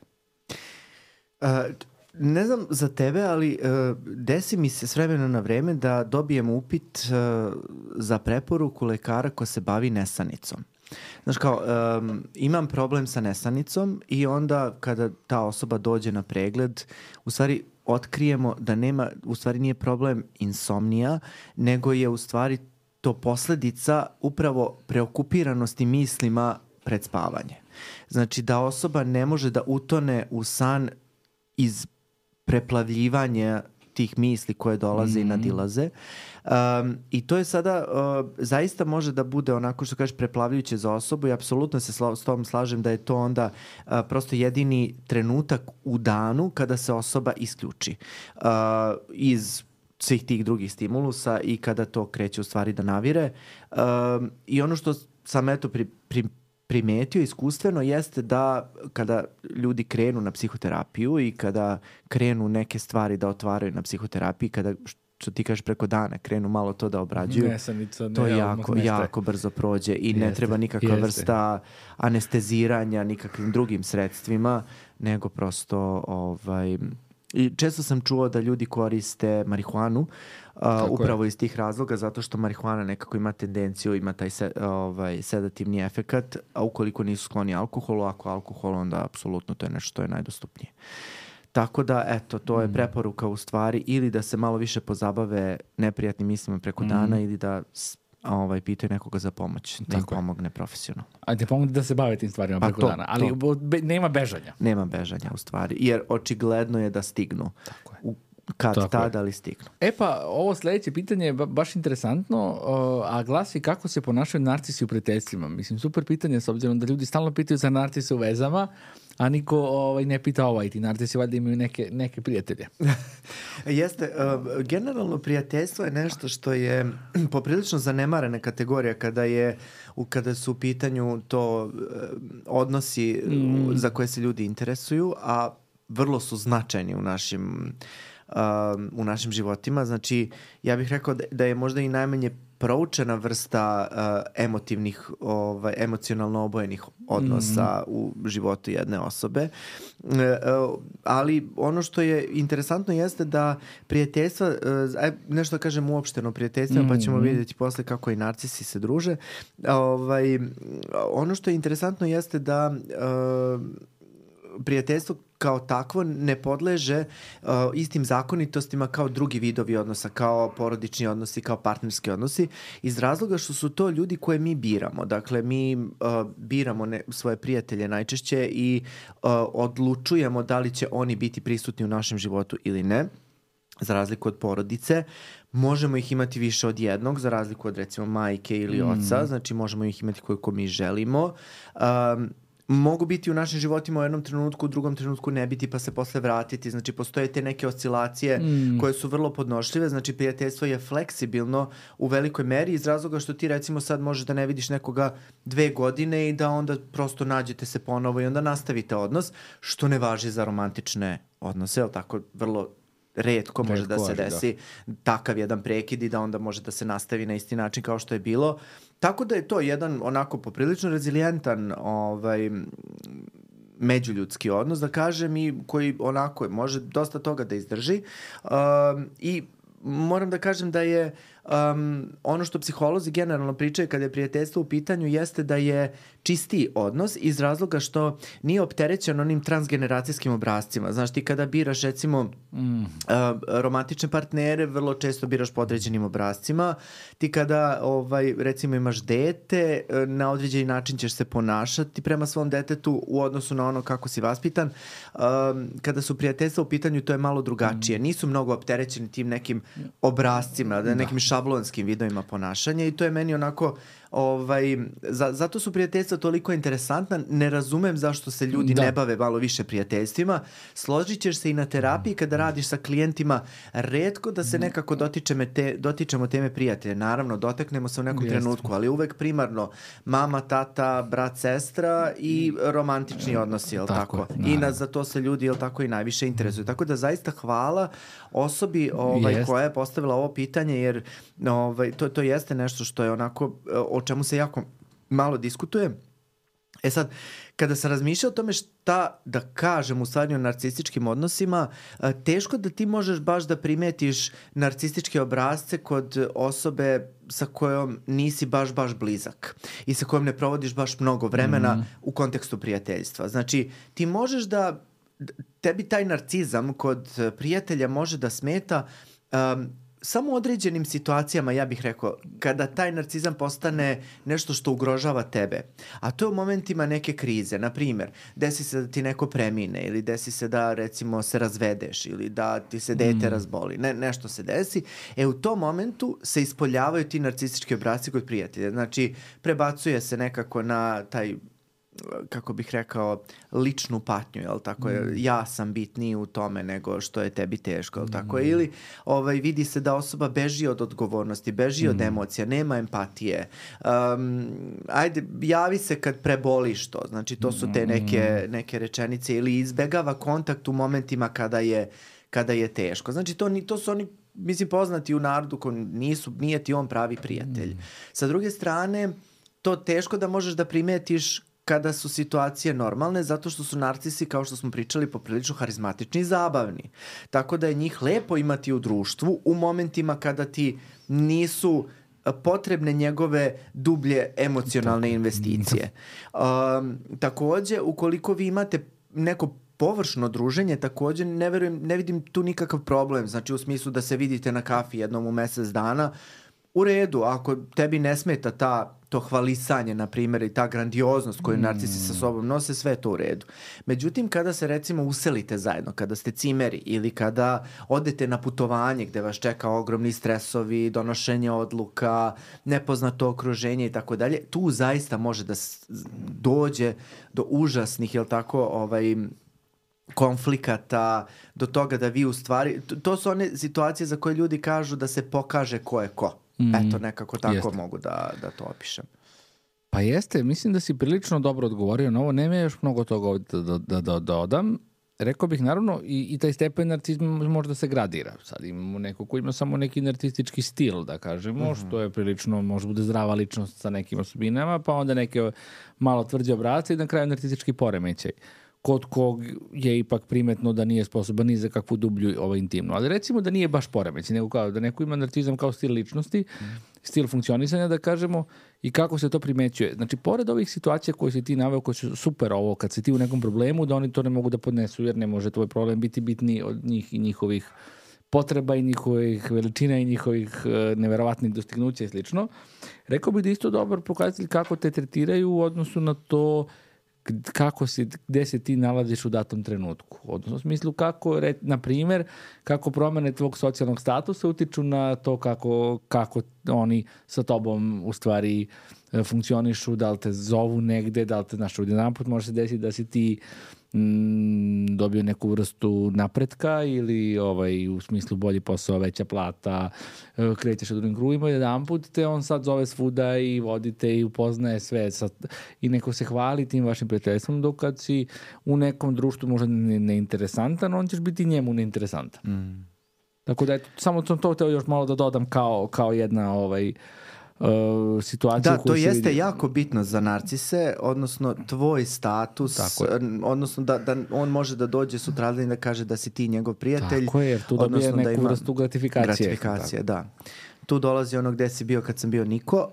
Ne znam za tebe, ali desi mi se s vremena na vreme da dobijem upit za preporuku lekara ko se bavi nesanicom. Znaš kao, imam problem sa nesanicom i onda kada ta osoba dođe na pregled, u stvari otkrijemo da u stvari nije problem insomnija, nego je u stvari to posledica upravo preokupiranosti mislima pred spavanje. Znači da osoba ne može da utone u san iz preplavljivanja tih misli koje dolaze i nadilaze. I to je sada, zaista može da bude onako što kažeš preplavljujuće za osobu i apsolutno se s tom slažem da je to onda prosto jedini trenutak u danu kada se osoba isključi iz svih tih drugih stimulusa i kada to kreće u stvari da navire. I ono što sam eto primetio iskustveno jeste da kada ljudi krenu na psihoterapiju i kada krenu neke stvari da otvaraju na psihoterapiji, kada što ti kažeš preko dana krenu malo to da obrađuju, to jako brzo prođe i ne treba nikakva vrsta anesteziranja nikakvim drugim sredstvima, nego prosto i često sam čuo da ljudi koriste marihuanu upravo iz tih razloga, zato što marihuana nekako ima tendenciju, ima taj sedativni efekat, a ukoliko nisu skloni alkoholu, ako alkohol, onda apsolutno to je nešto što je najdostupnije. Tako da, eto, to je preporuka u stvari, ili da se malo više pozabave neprijatnim mislima preko dana ili da pitaju nekoga za pomoć, da im pomogne profesionalno. A te pomogne da se bave tim stvarima preko dana, ali nema bežanja. Nema bežanja u stvari, jer očigledno je da stignu. Tako je. Kad tada li stignu. Pa ovo sledeće pitanje je baš interesantno, a glasi kako se ponašaju narcisi u prijateljstvima. Mislim, super pitanje, s obzirom da ljudi stalno pitaju za narcise u vezama, a niko ne pita ti narcisi valjda imaju neke prijatelje. Jeste, generalno prijateljstvo je nešto što je poprilično zanemarena kategorija kada su u pitanju to odnosi za koje se ljudi interesuju, a vrlo su značajni u našim životima. Znači, ja bih rekao da je možda i najmanje proučena vrsta emocionalno obojenih odnosa u životu jedne osobe. Ali ono što je interesantno jeste da prijateljstva, nešto kažem uopšteno prijateljstvima, pa ćemo vidjeti posle kako i narcisi se druže. Ono što je interesantno jeste da prijateljstvo kao takvo ne podleže istim zakonitostima kao drugi vidovi odnosa, kao porodični odnosi, kao partnerski odnosi, iz razloga što su to ljudi koje mi biramo. Dakle, mi biramo svoje prijatelje najčešće i odlučujemo da li će oni biti prisutni u našem životu ili ne. Za razliku od porodice, možemo ih imati više od jednog, za razliku od recimo majke ili oca, znači možemo ih imati koliko mi želimo. Mogu biti u našim životima u jednom trenutku, u drugom trenutku ne biti, pa se posle vratiti. Znači, postoje te neke oscilacije koje su vrlo podnošljive. Znači, prijateljstvo je fleksibilno u velikoj meri iz razloga što ti recimo sad možeš da ne vidiš nekoga 2 godine i da onda prosto nađete se ponovo i onda nastavite odnos, što ne važi za romantične odnose, ali tako vrlo retko može da se desi takav jedan prekid i da onda može da se nastavi na isti način kao što je bilo. Tako da je to jedan onako poprilično rezilijentan međuljudski odnos, da kažem, i koji onako može dosta toga da izdrži. I moram da kažem da je ono što psiholozi generalno pričaju kada je prijateljstvo u pitanju jeste da je čistiji odnos iz razloga što nije opterećen onim transgeneracijskim obrascima. Znaš, ti kada biraš recimo romantične partnere, vrlo često biraš po određenim obrascima. Ti kada recimo imaš dete, na određeni način ćeš se ponašati prema svom detetu u odnosu na ono kako si vaspitan. Kada su prijateljstva u pitanju, to je malo drugačije. Nisu mnogo opterećeni tim nekim obrascima, nekim šablonskim vidovima ponašanja i to je meni onako zato su prijateljstva toliko interesantna. Ne razumem zašto se ljudi ne bave malo više prijateljstvima. Složit ćeš se i na terapiji kada radiš sa klijentima, retko da se nekako dotičemo teme prijatelja. Naravno, dotaknemo se u nekom trenutku, ali uvek primarno mama, tata, brat, sestra i romantični odnosi, jel tako? I za to se ljudi, jel tako, i najviše interesuju. Tako da zaista hvala osobi koja je postavila ovo pitanje, jer to jeste nešto što je onako o čemu se jako malo diskutuje. Sad, kada sam razmišljao o tome šta da kažem u stvari o narcističkim odnosima, teško da ti možeš baš da primetiš narcističke obrasce kod osobe sa kojom nisi baš blizak i sa kojom ne provodiš baš mnogo vremena u kontekstu prijateljstva. Znači, ti možeš da tebi taj narcizam kod prijatelja može da smeta samo u određenim situacijama, ja bih rekao, kada taj narcizam postane nešto što ugrožava tebe. A to je u momentima neke krize. Naprimjer, desi se da ti neko premine ili desi se da, recimo, se razvedeš ili da ti se dete razboli. Nešto se desi. U tom momentu se ispoljavaju ti narcistički obrasci kod prijatelja. Znači, prebacuje se nekako na taj, kako bih rekao, ličnu patnju, jel tako? Ja sam bitniji u tome nego što je tebi teško, jel tako? Ili vidi se da osoba beži od odgovornosti, beži od emocija, nema empatije. Ajde, javi se kad preboliš to. Znači, to su te neke rečenice. Ili izbegava kontakt u momentima kada je teško. Znači, to su oni, mislim, poznati u narodu koji nije ti on pravi prijatelj. Sa druge strane, to teško da možeš da primetiš kada su situacije normalne, zato što su narcisi, kao što smo pričali, poprilično harizmatični i zabavni. Tako da je njih lepo imati u društvu u momentima kada ti nisu potrebne njegove dublje emocionalne investicije. Takođe, ukoliko vi imate neko površno druženje također ne vidim tu nikakav problem, znači u smislu da se vidite na kafi jednom u mesec dana, u redu, ako tebi ne smeta to hvalisanje, na primjer, i ta grandioznost koju narcisi sa sobom nose, sve je to u redu. Međutim, kada se recimo uselite zajedno, kada ste cimeri ili kada odete na putovanje gde vas čeka ogromni stresovi, donošenje odluka, nepoznato okruženje i tako dalje, tu zaista može da dođe do užasnih, jel tako, konflikata, do toga da vi u stvari... To su one situacije za koje ljudi kažu da se pokaže ko je ko. Eto, nekako tako mogu da to opišem. Pa jeste, mislim da si prilično dobro odgovorio na ovo. Nema još mnogo toga ovdje da dodam. Rekao bih, naravno, i taj stepen narcizma može da se gradira. Sad imamo neko ko ima samo neki narcistički stil, da kažemo, što je prilično, može bude zdrava ličnost sa nekim osobinama, pa onda neke malo tvrđe obrace i na kraju narcistički poremećaj. Kod kog je ipak primetno da nije sposoban ni za kakvu dublju intimnu. Ali recimo da nije baš poremećaj, nego kao da neko ima narcizam kao stil ličnosti, stil funkcionisanja, da kažemo, i kako se to primećuje. Znači, pored ovih situacija koje si ti naveo, koje su super ovo, kad si ti u nekom problemu, da oni to ne mogu da podnesu, jer ne može tvoj problem biti bitniji od njih i njihovih potreba i njihovih veličina i njihovih neverovatnih dostignuća i slično. Rekao bih da isto dobar pokazatelj kako te tretiraju u odnosu na to gde se ti nalaziš u datom trenutku. Odnosno, u smislu kako, na primjer, kako promene tvog socijalnog statusa utiču na to kako oni sa tobom u stvari funkcionišu, da li te zovu negde, da li te, znaš, odjedanput može se desiti da si ti dobio neku vrstu napretka ili u smislu bolji posao, veća plata, krećeš u drugim krugovima, jedanput te on sad zove svuda i vodite i upoznaje sve i neko se hvali tim vašim prijateljstvom, dok kad si u nekom društvu možda neinteresantan, on ćeš biti njemu neinteresantan. Tako da samo sam to hteo još malo da dodam kao jedna situaciju. Da, to jeste jako bitno za narcise, odnosno tvoj status, odnosno da on može da dođe sutradan i da kaže da si ti njegov prijatelj. Tako je, jer tu dobije neku vrstu gratifikacije. Da. Tu dolazi ono gde si bio kad sam bio niko,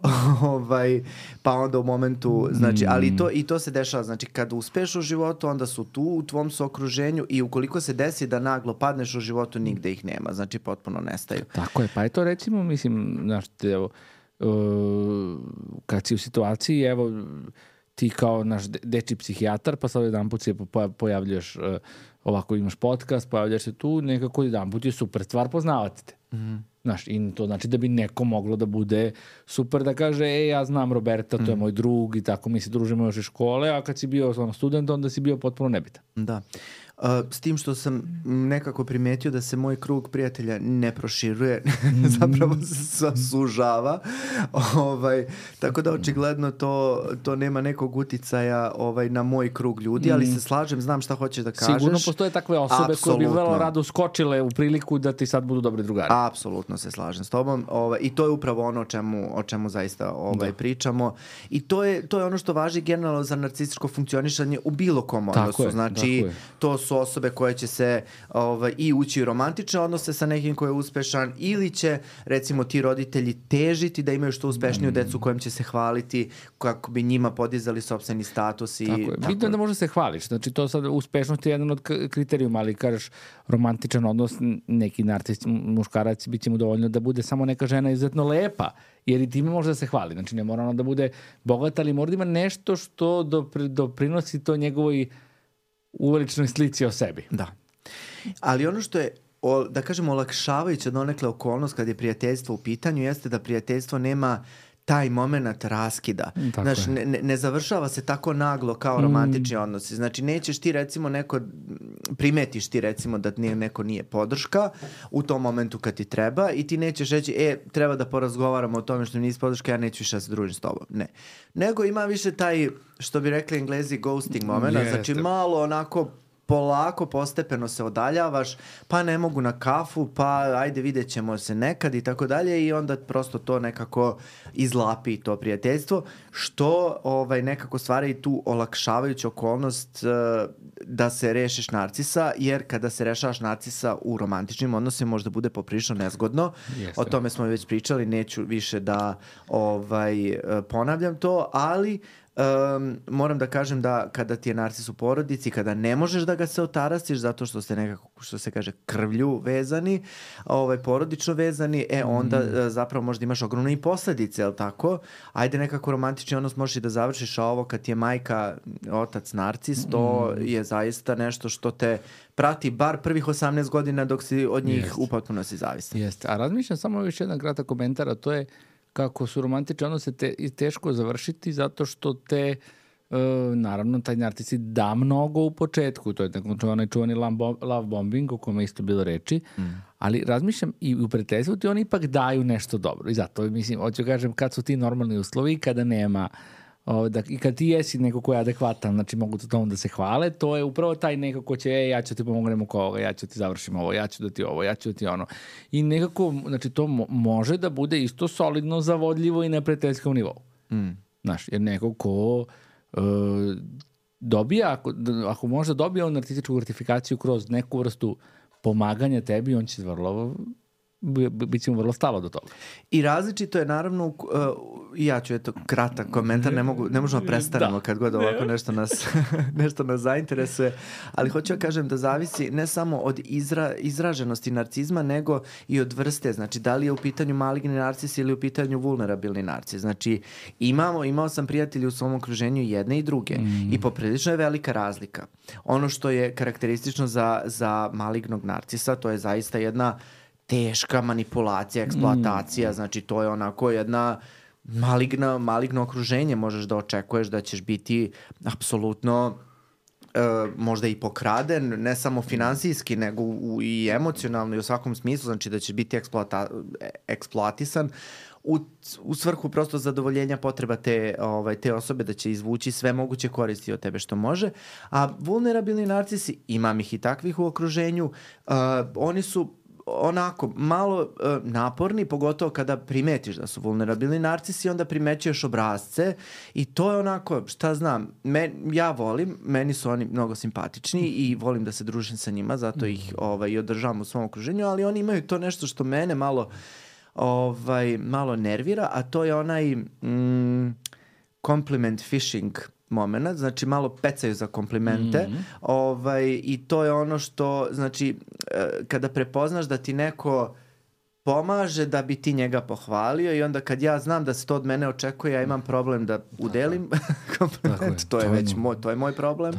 pa onda u momentu, znači, ali to se dešava, znači kad uspeš u životu, onda su tu u tvom su okruženju i ukoliko se desi da naglo padneš u životu, nigde ih nema, znači potpuno nestaju. Tako je, pa je to recimo, mislim, znaš, kad si u situaciji, evo, ti kao naš dečji psihijatar, pa sad jedan put se pojavljaš, ovako imaš podcast, pojavljaš se tu, nekako jedan put je super stvar poznavati te. Znaš, i to znači da bi neko moglo da bude super da kaže, ja znam Roberta, to je moj drug i tako mi se družimo još iz škole, a kad si bio student, onda si bio potpuno nebitan. Da. S tim što sam nekako primetio da se moj krug prijatelja ne proširuje, zapravo se sužava. Tako da očigledno to nema nekog uticaja na moj krug ljudi, ali se slažem, znam šta hoćeš da kažeš. Sigurno postoje takve osobe koje bi vrlo rado skočile u priliku da ti sad budu dobri drugari. Apsolutno se slažem s tobom. I to je upravo ono o čemu zaista pričamo. I to je ono što važi generalno za narcističko funkcionišanje u bilo kom odnosu. Znači, to su osobe koje će se i ući u romantične odnose sa nekim ko je uspešan, ili će, recimo, ti roditelji težiti da imaju što uspešniju decu kojim će se hvaliti kako bi njima podizali sopstveni status. Tako je. Bitno je da može se hvališ. Znači, to sad uspešnost je jedan od kriterijuma, ali kažeš romantičan odnos, neki narcist muškarac bit će mu dovoljno da bude samo neka žena izuzetno lepa, jer i time može da se hvali. Znači, ne mora ona da bude bogata, ali mora da ima nešto što doprinosi to njegovoj uveličnoj slici o sebi. Da. Ali ono što je, da kažemo, olakšavajuća donekle okolnost kad je prijateljstvo u pitanju, jeste da prijateljstvo nema taj moment raskida. Znaš, ne završava se tako naglo kao romantični odnosi. Znači, nećeš ti, recimo, primetiš ti, recimo, da neko nije podrška u tom momentu kad ti treba i ti nećeš reći, treba da porazgovaramo o tome što mi nisi podrška, ja neću više da se družim s tobom. Ne. Nego ima više taj, što bi rekli Englezi, ghosting moment. Znači, malo onako polako, postepeno se odaljavaš, pa ne mogu na kafu, pa ajde vidjet ćemo se nekad i tako dalje, i onda prosto to nekako izlapi to prijateljstvo, što nekako stvara i tu olakšavajuću okolnost da se rešiš narcisa, jer kada se rešavaš narcisa u romantičnim odnosima možda bude poprilično nezgodno. O tome smo već pričali, neću više da ponavljam to, ali moram da kažem da kada ti je narcis u porodici, kada ne možeš da ga se otarasiš zato što ste nekako, što se kaže, krvlju vezani, porodično vezani, onda zapravo možda imaš ogromne i posledice, jel tako? Ajde nekako romantični odnos možeš i da završiš, a ovo kad ti je majka, otac narcis, to je zaista nešto što te prati bar prvih 18 godina dok si od njih u potpunosti zavisan. Jeste, a razmišljam samo još jedan kratak komentar, a to je kako su romantične odnose teško završiti zato što te, naravno, taj narcis da mnogo u početku, to je onaj čuvani love bombing o kome isto bilo reči, ali razmišljam i u prijateljstvu ti oni ipak daju nešto dobro i zato, mislim, hoću kažem, kad su ti normalni uslovi, kada nema i kad ti jesi neko ko je adekvatan, znači mogu to tomu da se hvale, to je upravo taj neko ko će, ja ću ti pomognem oko ovoga, ja ću ti završim ovo, ja ću da ti ovo, ja ću da ti ono. I nekako, znači to može da bude isto solidno, zavodljivo i na prijateljskom nivou. Znaš, jer neko ko dobija, ako može dobija on narcističku gratifikaciju kroz neku vrstu pomaganja tebi, on će bit će mu vrlo stalo do toga. I različito je naravno, ja ću kratak komentar, ne možemo prestanemo kad god ovako nešto nas zainteresuje, ali hoću ja kažem da zavisi ne samo od izraženosti narcizma, nego i od vrste, znači da li je u pitanju maligni narcis ili u pitanju vulnerabilni narcis. Znači imao sam prijatelji u svom okruženju jedne i druge i poprilično je velika razlika. Ono što je karakteristično za malignog narcisa, to je zaista jedna teška manipulacija, eksploatacija, znači to je onako jedna maligno okruženje, možeš da očekuješ da ćeš biti apsolutno možda i pokraden, ne samo finansijski, nego i emocionalno i u svakom smislu, znači da ćeš biti eksploatisan u svrhu prosto zadovoljenja potreba te osobe, da će izvući sve moguće koristi od tebe što može. A vulnerabilni narcisi, imam ih i takvih u okruženju, oni su onako malo naporni, pogotovo kada primetiš da su vulnerabilni narcisi, onda primećuješ obrazce i to je onako, šta znam, ja volim, meni su oni mnogo simpatični i volim da se družim sa njima, zato ih i održavam u svom okruženju, ali oni imaju to nešto što mene malo nervira, a to je onaj compliment fishing moment, znači malo pecaju za komplimente i to je ono što, znači, kada prepoznaš da ti neko pomaže da bi ti njega pohvalio i onda kad ja znam da se to od mene očekuje, ja imam problem da udelim kompliment, to je moj problem.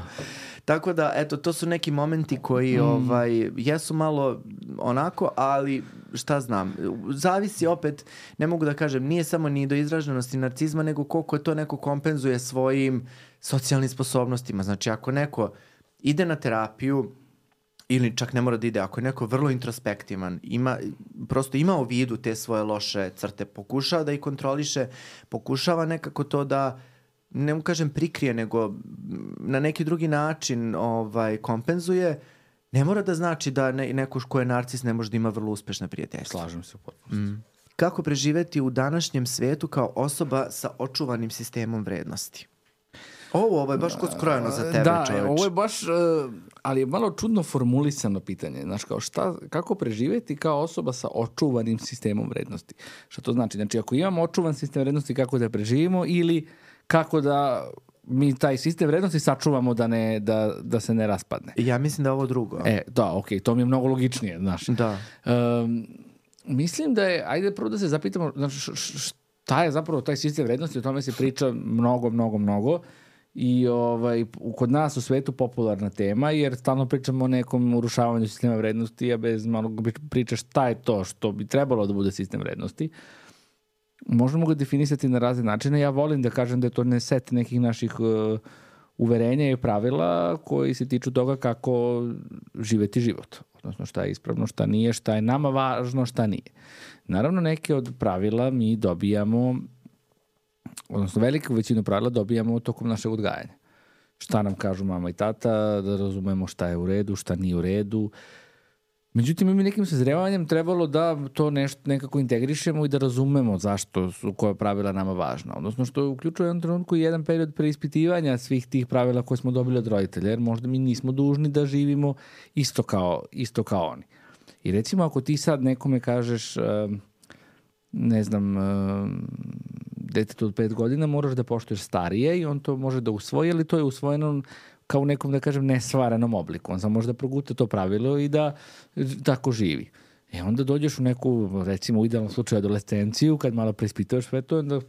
Tako da, eto, to su neki momenti koji jesu malo onako, ali šta znam, zavisi opet, ne mogu da kažem, nije samo ni do izraženosti narcizma, nego koliko je to neko kompenzuje svojim socijalnim sposobnostima. Znači, ako neko ide na terapiju, ili čak ne mora da ide, ako je neko vrlo introspektivan, prosto ima u vidu te svoje loše crte, pokušava da ih kontroliše, pokušava nekako to da, ne mu kažem prikrije, nego na neki drugi način kompenzuje, ne mora da znači da neko ko je narcis ne može da ima vrlo uspešne prijateljstva. Slažem se u potpunosti. Kako preživeti u današnjem svetu kao osoba sa očuvanim sistemom vrednosti? Ovo je baš kod skrojeno za tebe, čoveč. Da, ovo je baš, ali je malo čudno formulisano pitanje. Znaš, kako preživeti kao osoba sa očuvanim sistemom vrednosti? Šta to znači? Znači, ako imamo očuvan sistem vrednosti, kako da preživimo ili kako da mi taj sistem vrednosti sačuvamo da se ne raspadne? Ja mislim da je ovo drugo. Da, okej, to mi je mnogo logičnije, znaš. Da. Mislim da je, ajde prvo da se zapitamo, znači, šta je zapravo taj sistem vrednosti, o tome se priča mnogo i kod nas u svetu popularna tema, jer stalno pričamo o nekom urušavanju sistema vrednosti, a bez malo priča šta je to što bi trebalo da bude sistem vrednosti. Možemo ga definisati na razne načine. Ja volim da kažem da je to set nekih naših uverenja i pravila koji se tiču toga kako živeti život. Odnosno šta je ispravno, šta nije, šta je nama važno, šta nije. Naravno, neke od pravila mi dobijamo, odnosno veliku većinu pravila dobijamo tokom našeg odgajanja. Šta nam kažu mama i tata, da razumemo šta je u redu, šta nije u redu. Međutim, mi nekim sazrevanjem trebalo da to nekako integrišemo i da razumemo zašto su koja pravila nama važna. Odnosno što uključuje u jednom trenutku jedan period preispitivanja svih tih pravila koje smo dobili od roditelja, jer možda mi nismo dužni da živimo isto kao oni. I recimo ako ti sad nekome kažeš, ne znam, detetu od 5 godina moraš da poštuješ starije i on to može da usvoji, ali to je usvojeno kao u nekom, da kažem, nesvarenom obliku. On samo može da proguta to pravilo i da tako živi. Onda dođeš u neku, recimo u idealnom slučaju adolescenciju, kad malo preispituješ sve to, onda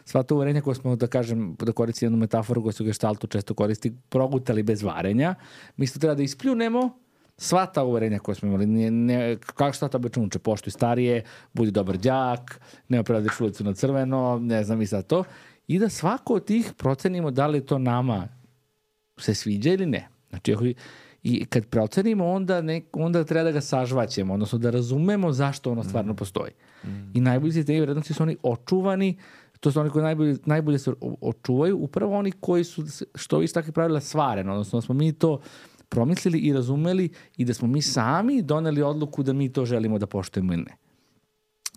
sva to uverenja koje smo, da kažem, da koristim jednu metaforu koja se u geštaltu često koristi, progutali bez varenja. Mi isto treba da ispljunemo sva ta uverenja koje smo imali. Kako šta to obično uče? Poštuj starije, budi dobar đak, ne oprediš ulicu na crveno, ne znam i sad to. I da svako od tih procenimo da li to nama se sviđa ili ne. Znači, i kad procenimo, onda treba da ga sažvaćemo, odnosno da razumemo zašto ono stvarno postoji. I najbolji sistemi vrednosti su oni očuvani, to su oni koji najbolje se očuvaju, upravo oni koji su, što više takvih pravila, svareno, odnosno da smo mi to promislili i razumeli i da smo mi sami doneli odluku da mi to želimo da poštujemo ili ne.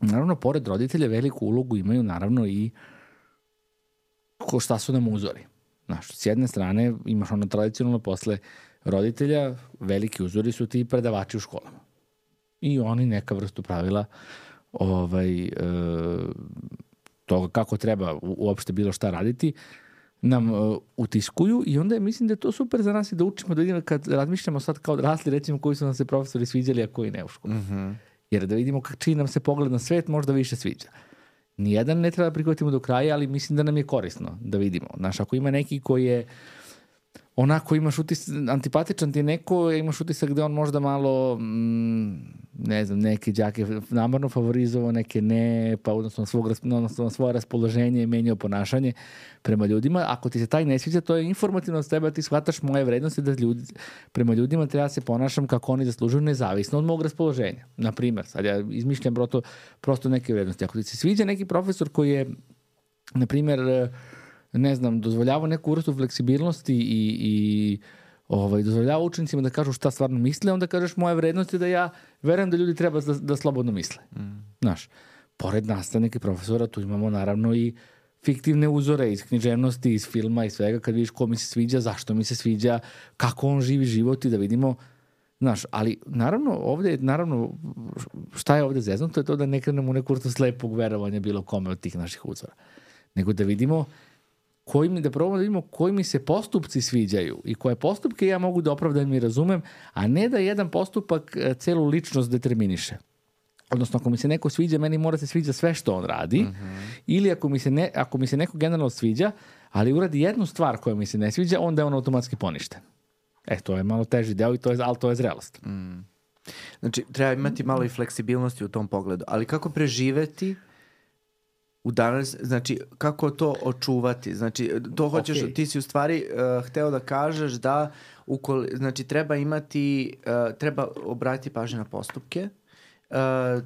Naravno, pored roditelja veliku ulogu imaju naravno i šta su nam uzori. Znaš, s jedne strane imaš ono tradicionalno posle roditelja, veliki uzori su ti predavači u školama. I oni neka vrstu pravila toga kako treba uopšte bilo šta raditi nam utiskuju i onda mislim da je to super za nas i da učimo, da vidimo kad razmišljamo sad kao odrasli, recimo koji su nam se profesori sviđali, a koji ne u školu. Jer da vidimo čiji nam se pogled na svet možda više sviđa. Nijedan ne treba da prihvatimo do kraja, ali mislim da nam je korisno da vidimo. Znaš, ako ima neki koji je onako imaš utisak, antipatičan ti neko, imaš utisak da on možda malo, ne znam, neke đake namerno favorizovao, neke ne, pa odnosno svoje raspoloženje menjao ponašanje prema ljudima. Ako ti se taj ne sviđa, to je informativno od tebe, ti shvataš moje vrednosti da prema ljudima treba se ponašam kako oni zaslužuju nezavisno od mog raspoloženja. Naprimjer, sad ja izmišljam prosto neke vrednosti. Ako ti se sviđa neki profesor koji je, naprimjer, ne znam, dozvoljava neku vrstu fleksibilnosti i dozvoljava učenicima da kažu šta stvarno misle, onda kažeš moja vrednost je da ja verujem da ljudi treba da slobodno misle. Znaš, pored nastavnika i profesora tu imamo naravno i fiktivne uzore iz književnosti, iz filma i svega, kad vidiš ko mi se sviđa, zašto mi se sviđa, kako on živi život i da vidimo, znaš, ali naravno šta je ovde zeznuto je to da ne krenemo u neku vrstu slepog verovanja bilo kome od tih naših uzora, nego da vidimo da probamo da vidimo koji mi se postupci sviđaju i koje postupke ja mogu da opravdam i razumem, a ne da jedan postupak celu ličnost determiniše. Odnosno, ako mi se neko sviđa, meni mora se sviđa sve što on radi, ili ako mi se neko generalno sviđa, ali uradi jednu stvar koja mi se ne sviđa, onda je on automatski poništen. To je malo teži deo, ali to je zrelost. Znači, treba imati malo i fleksibilnosti u tom pogledu. Ali kako preživeti u danas, znači, kako to očuvati? Znači, to hoćeš, ti si u stvari hteo da kažeš da znači, treba obratiti pažnju na postupke,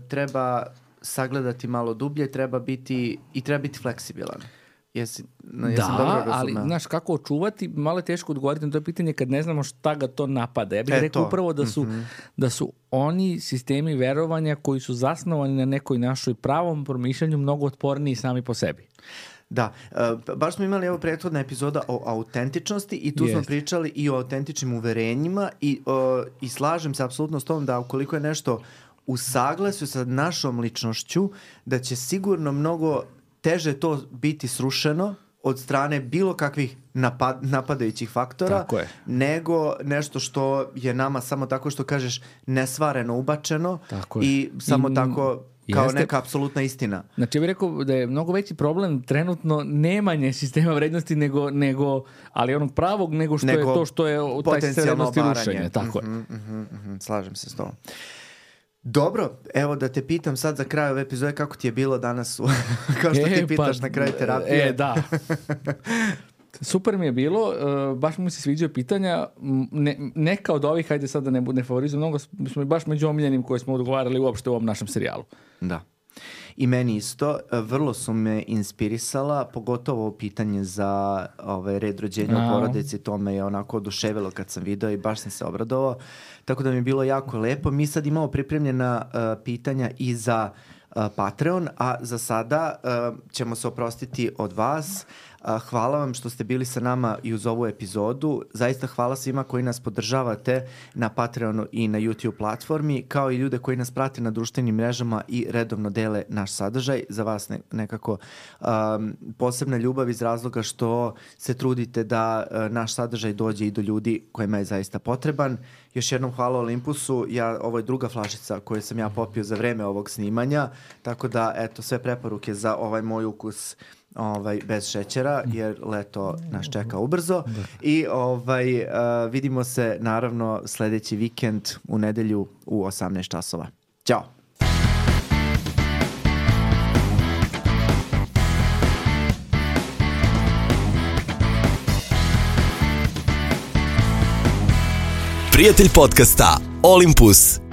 treba sagledati malo dublje, treba biti fleksibilan. Da, ali znaš kako očuvati, malo je teško odgovoriti na to pitanje kad ne znamo šta ga to napada. Ja bih rekao upravo da su oni sistemi verovanja koji su zasnovani na nekoj našoj pravom promišljanju mnogo otporniji sami po sebi. Da, baš smo imali prethodna epizoda o autentičnosti i tu smo pričali i o autentičnim uverenjima i slažem se apsolutno s tom da ukoliko je nešto u saglasju sa našom ličnošću, da će sigurno mnogo teže to biti srušeno od strane bilo kakvih napadajućih faktora, nego nešto što je nama samo tako što kažeš nesvareno ubačeno i samo tako kao neka apsolutna istina. Znači ja bih rekao da je mnogo veći problem trenutno nemanje sistema vrednosti nego ali onog pravog nego što je to što je taj sistem vrednosti rušenje. Tako je. Slažem se s tom. Dobro, evo da te pitam sad za kraj ove epizode kako ti je bilo danas, kao što ti pitaš na kraju terapije. Da. Super mi je bilo, baš mi se sviđaju pitanja, neka od ovih, hajde sad da ne favorizujem mnogo, smo baš među omiljenim koje smo odgovarali uopšte u ovom našem serijalu. Da. I meni isto, vrlo su me inspirisala, pogotovo pitanje za red rođenja u porodici, to me je onako oduševilo kad sam video i baš sam se obradovao, tako da mi je bilo jako lepo. Mi sad imamo pripremljena pitanja i za Patreon, a za sada ćemo se oprostiti od vas. Hvala vam što ste bili sa nama i uz ovu epizodu. Zaista hvala svima koji nas podržavate na Patreonu i na YouTube platformi, kao i ljude koji nas prate na društvenim mrežama i redovno dele naš sadržaj. Za vas nekako posebna ljubav iz razloga što se trudite da naš sadržaj dođe i do ljudi kojima je zaista potreban. Još jednom hvala Olympusu. Ovo je druga flašica koju sam ja popio za vreme ovog snimanja, tako da eto sve preporuke za ovaj moj ukus bez šećera, jer leto nas čeka ubrzo. I vidimo se naravno sledeći vikend u nedelju u 18 časova. Ćao! Prijatelj podcasta Olympus.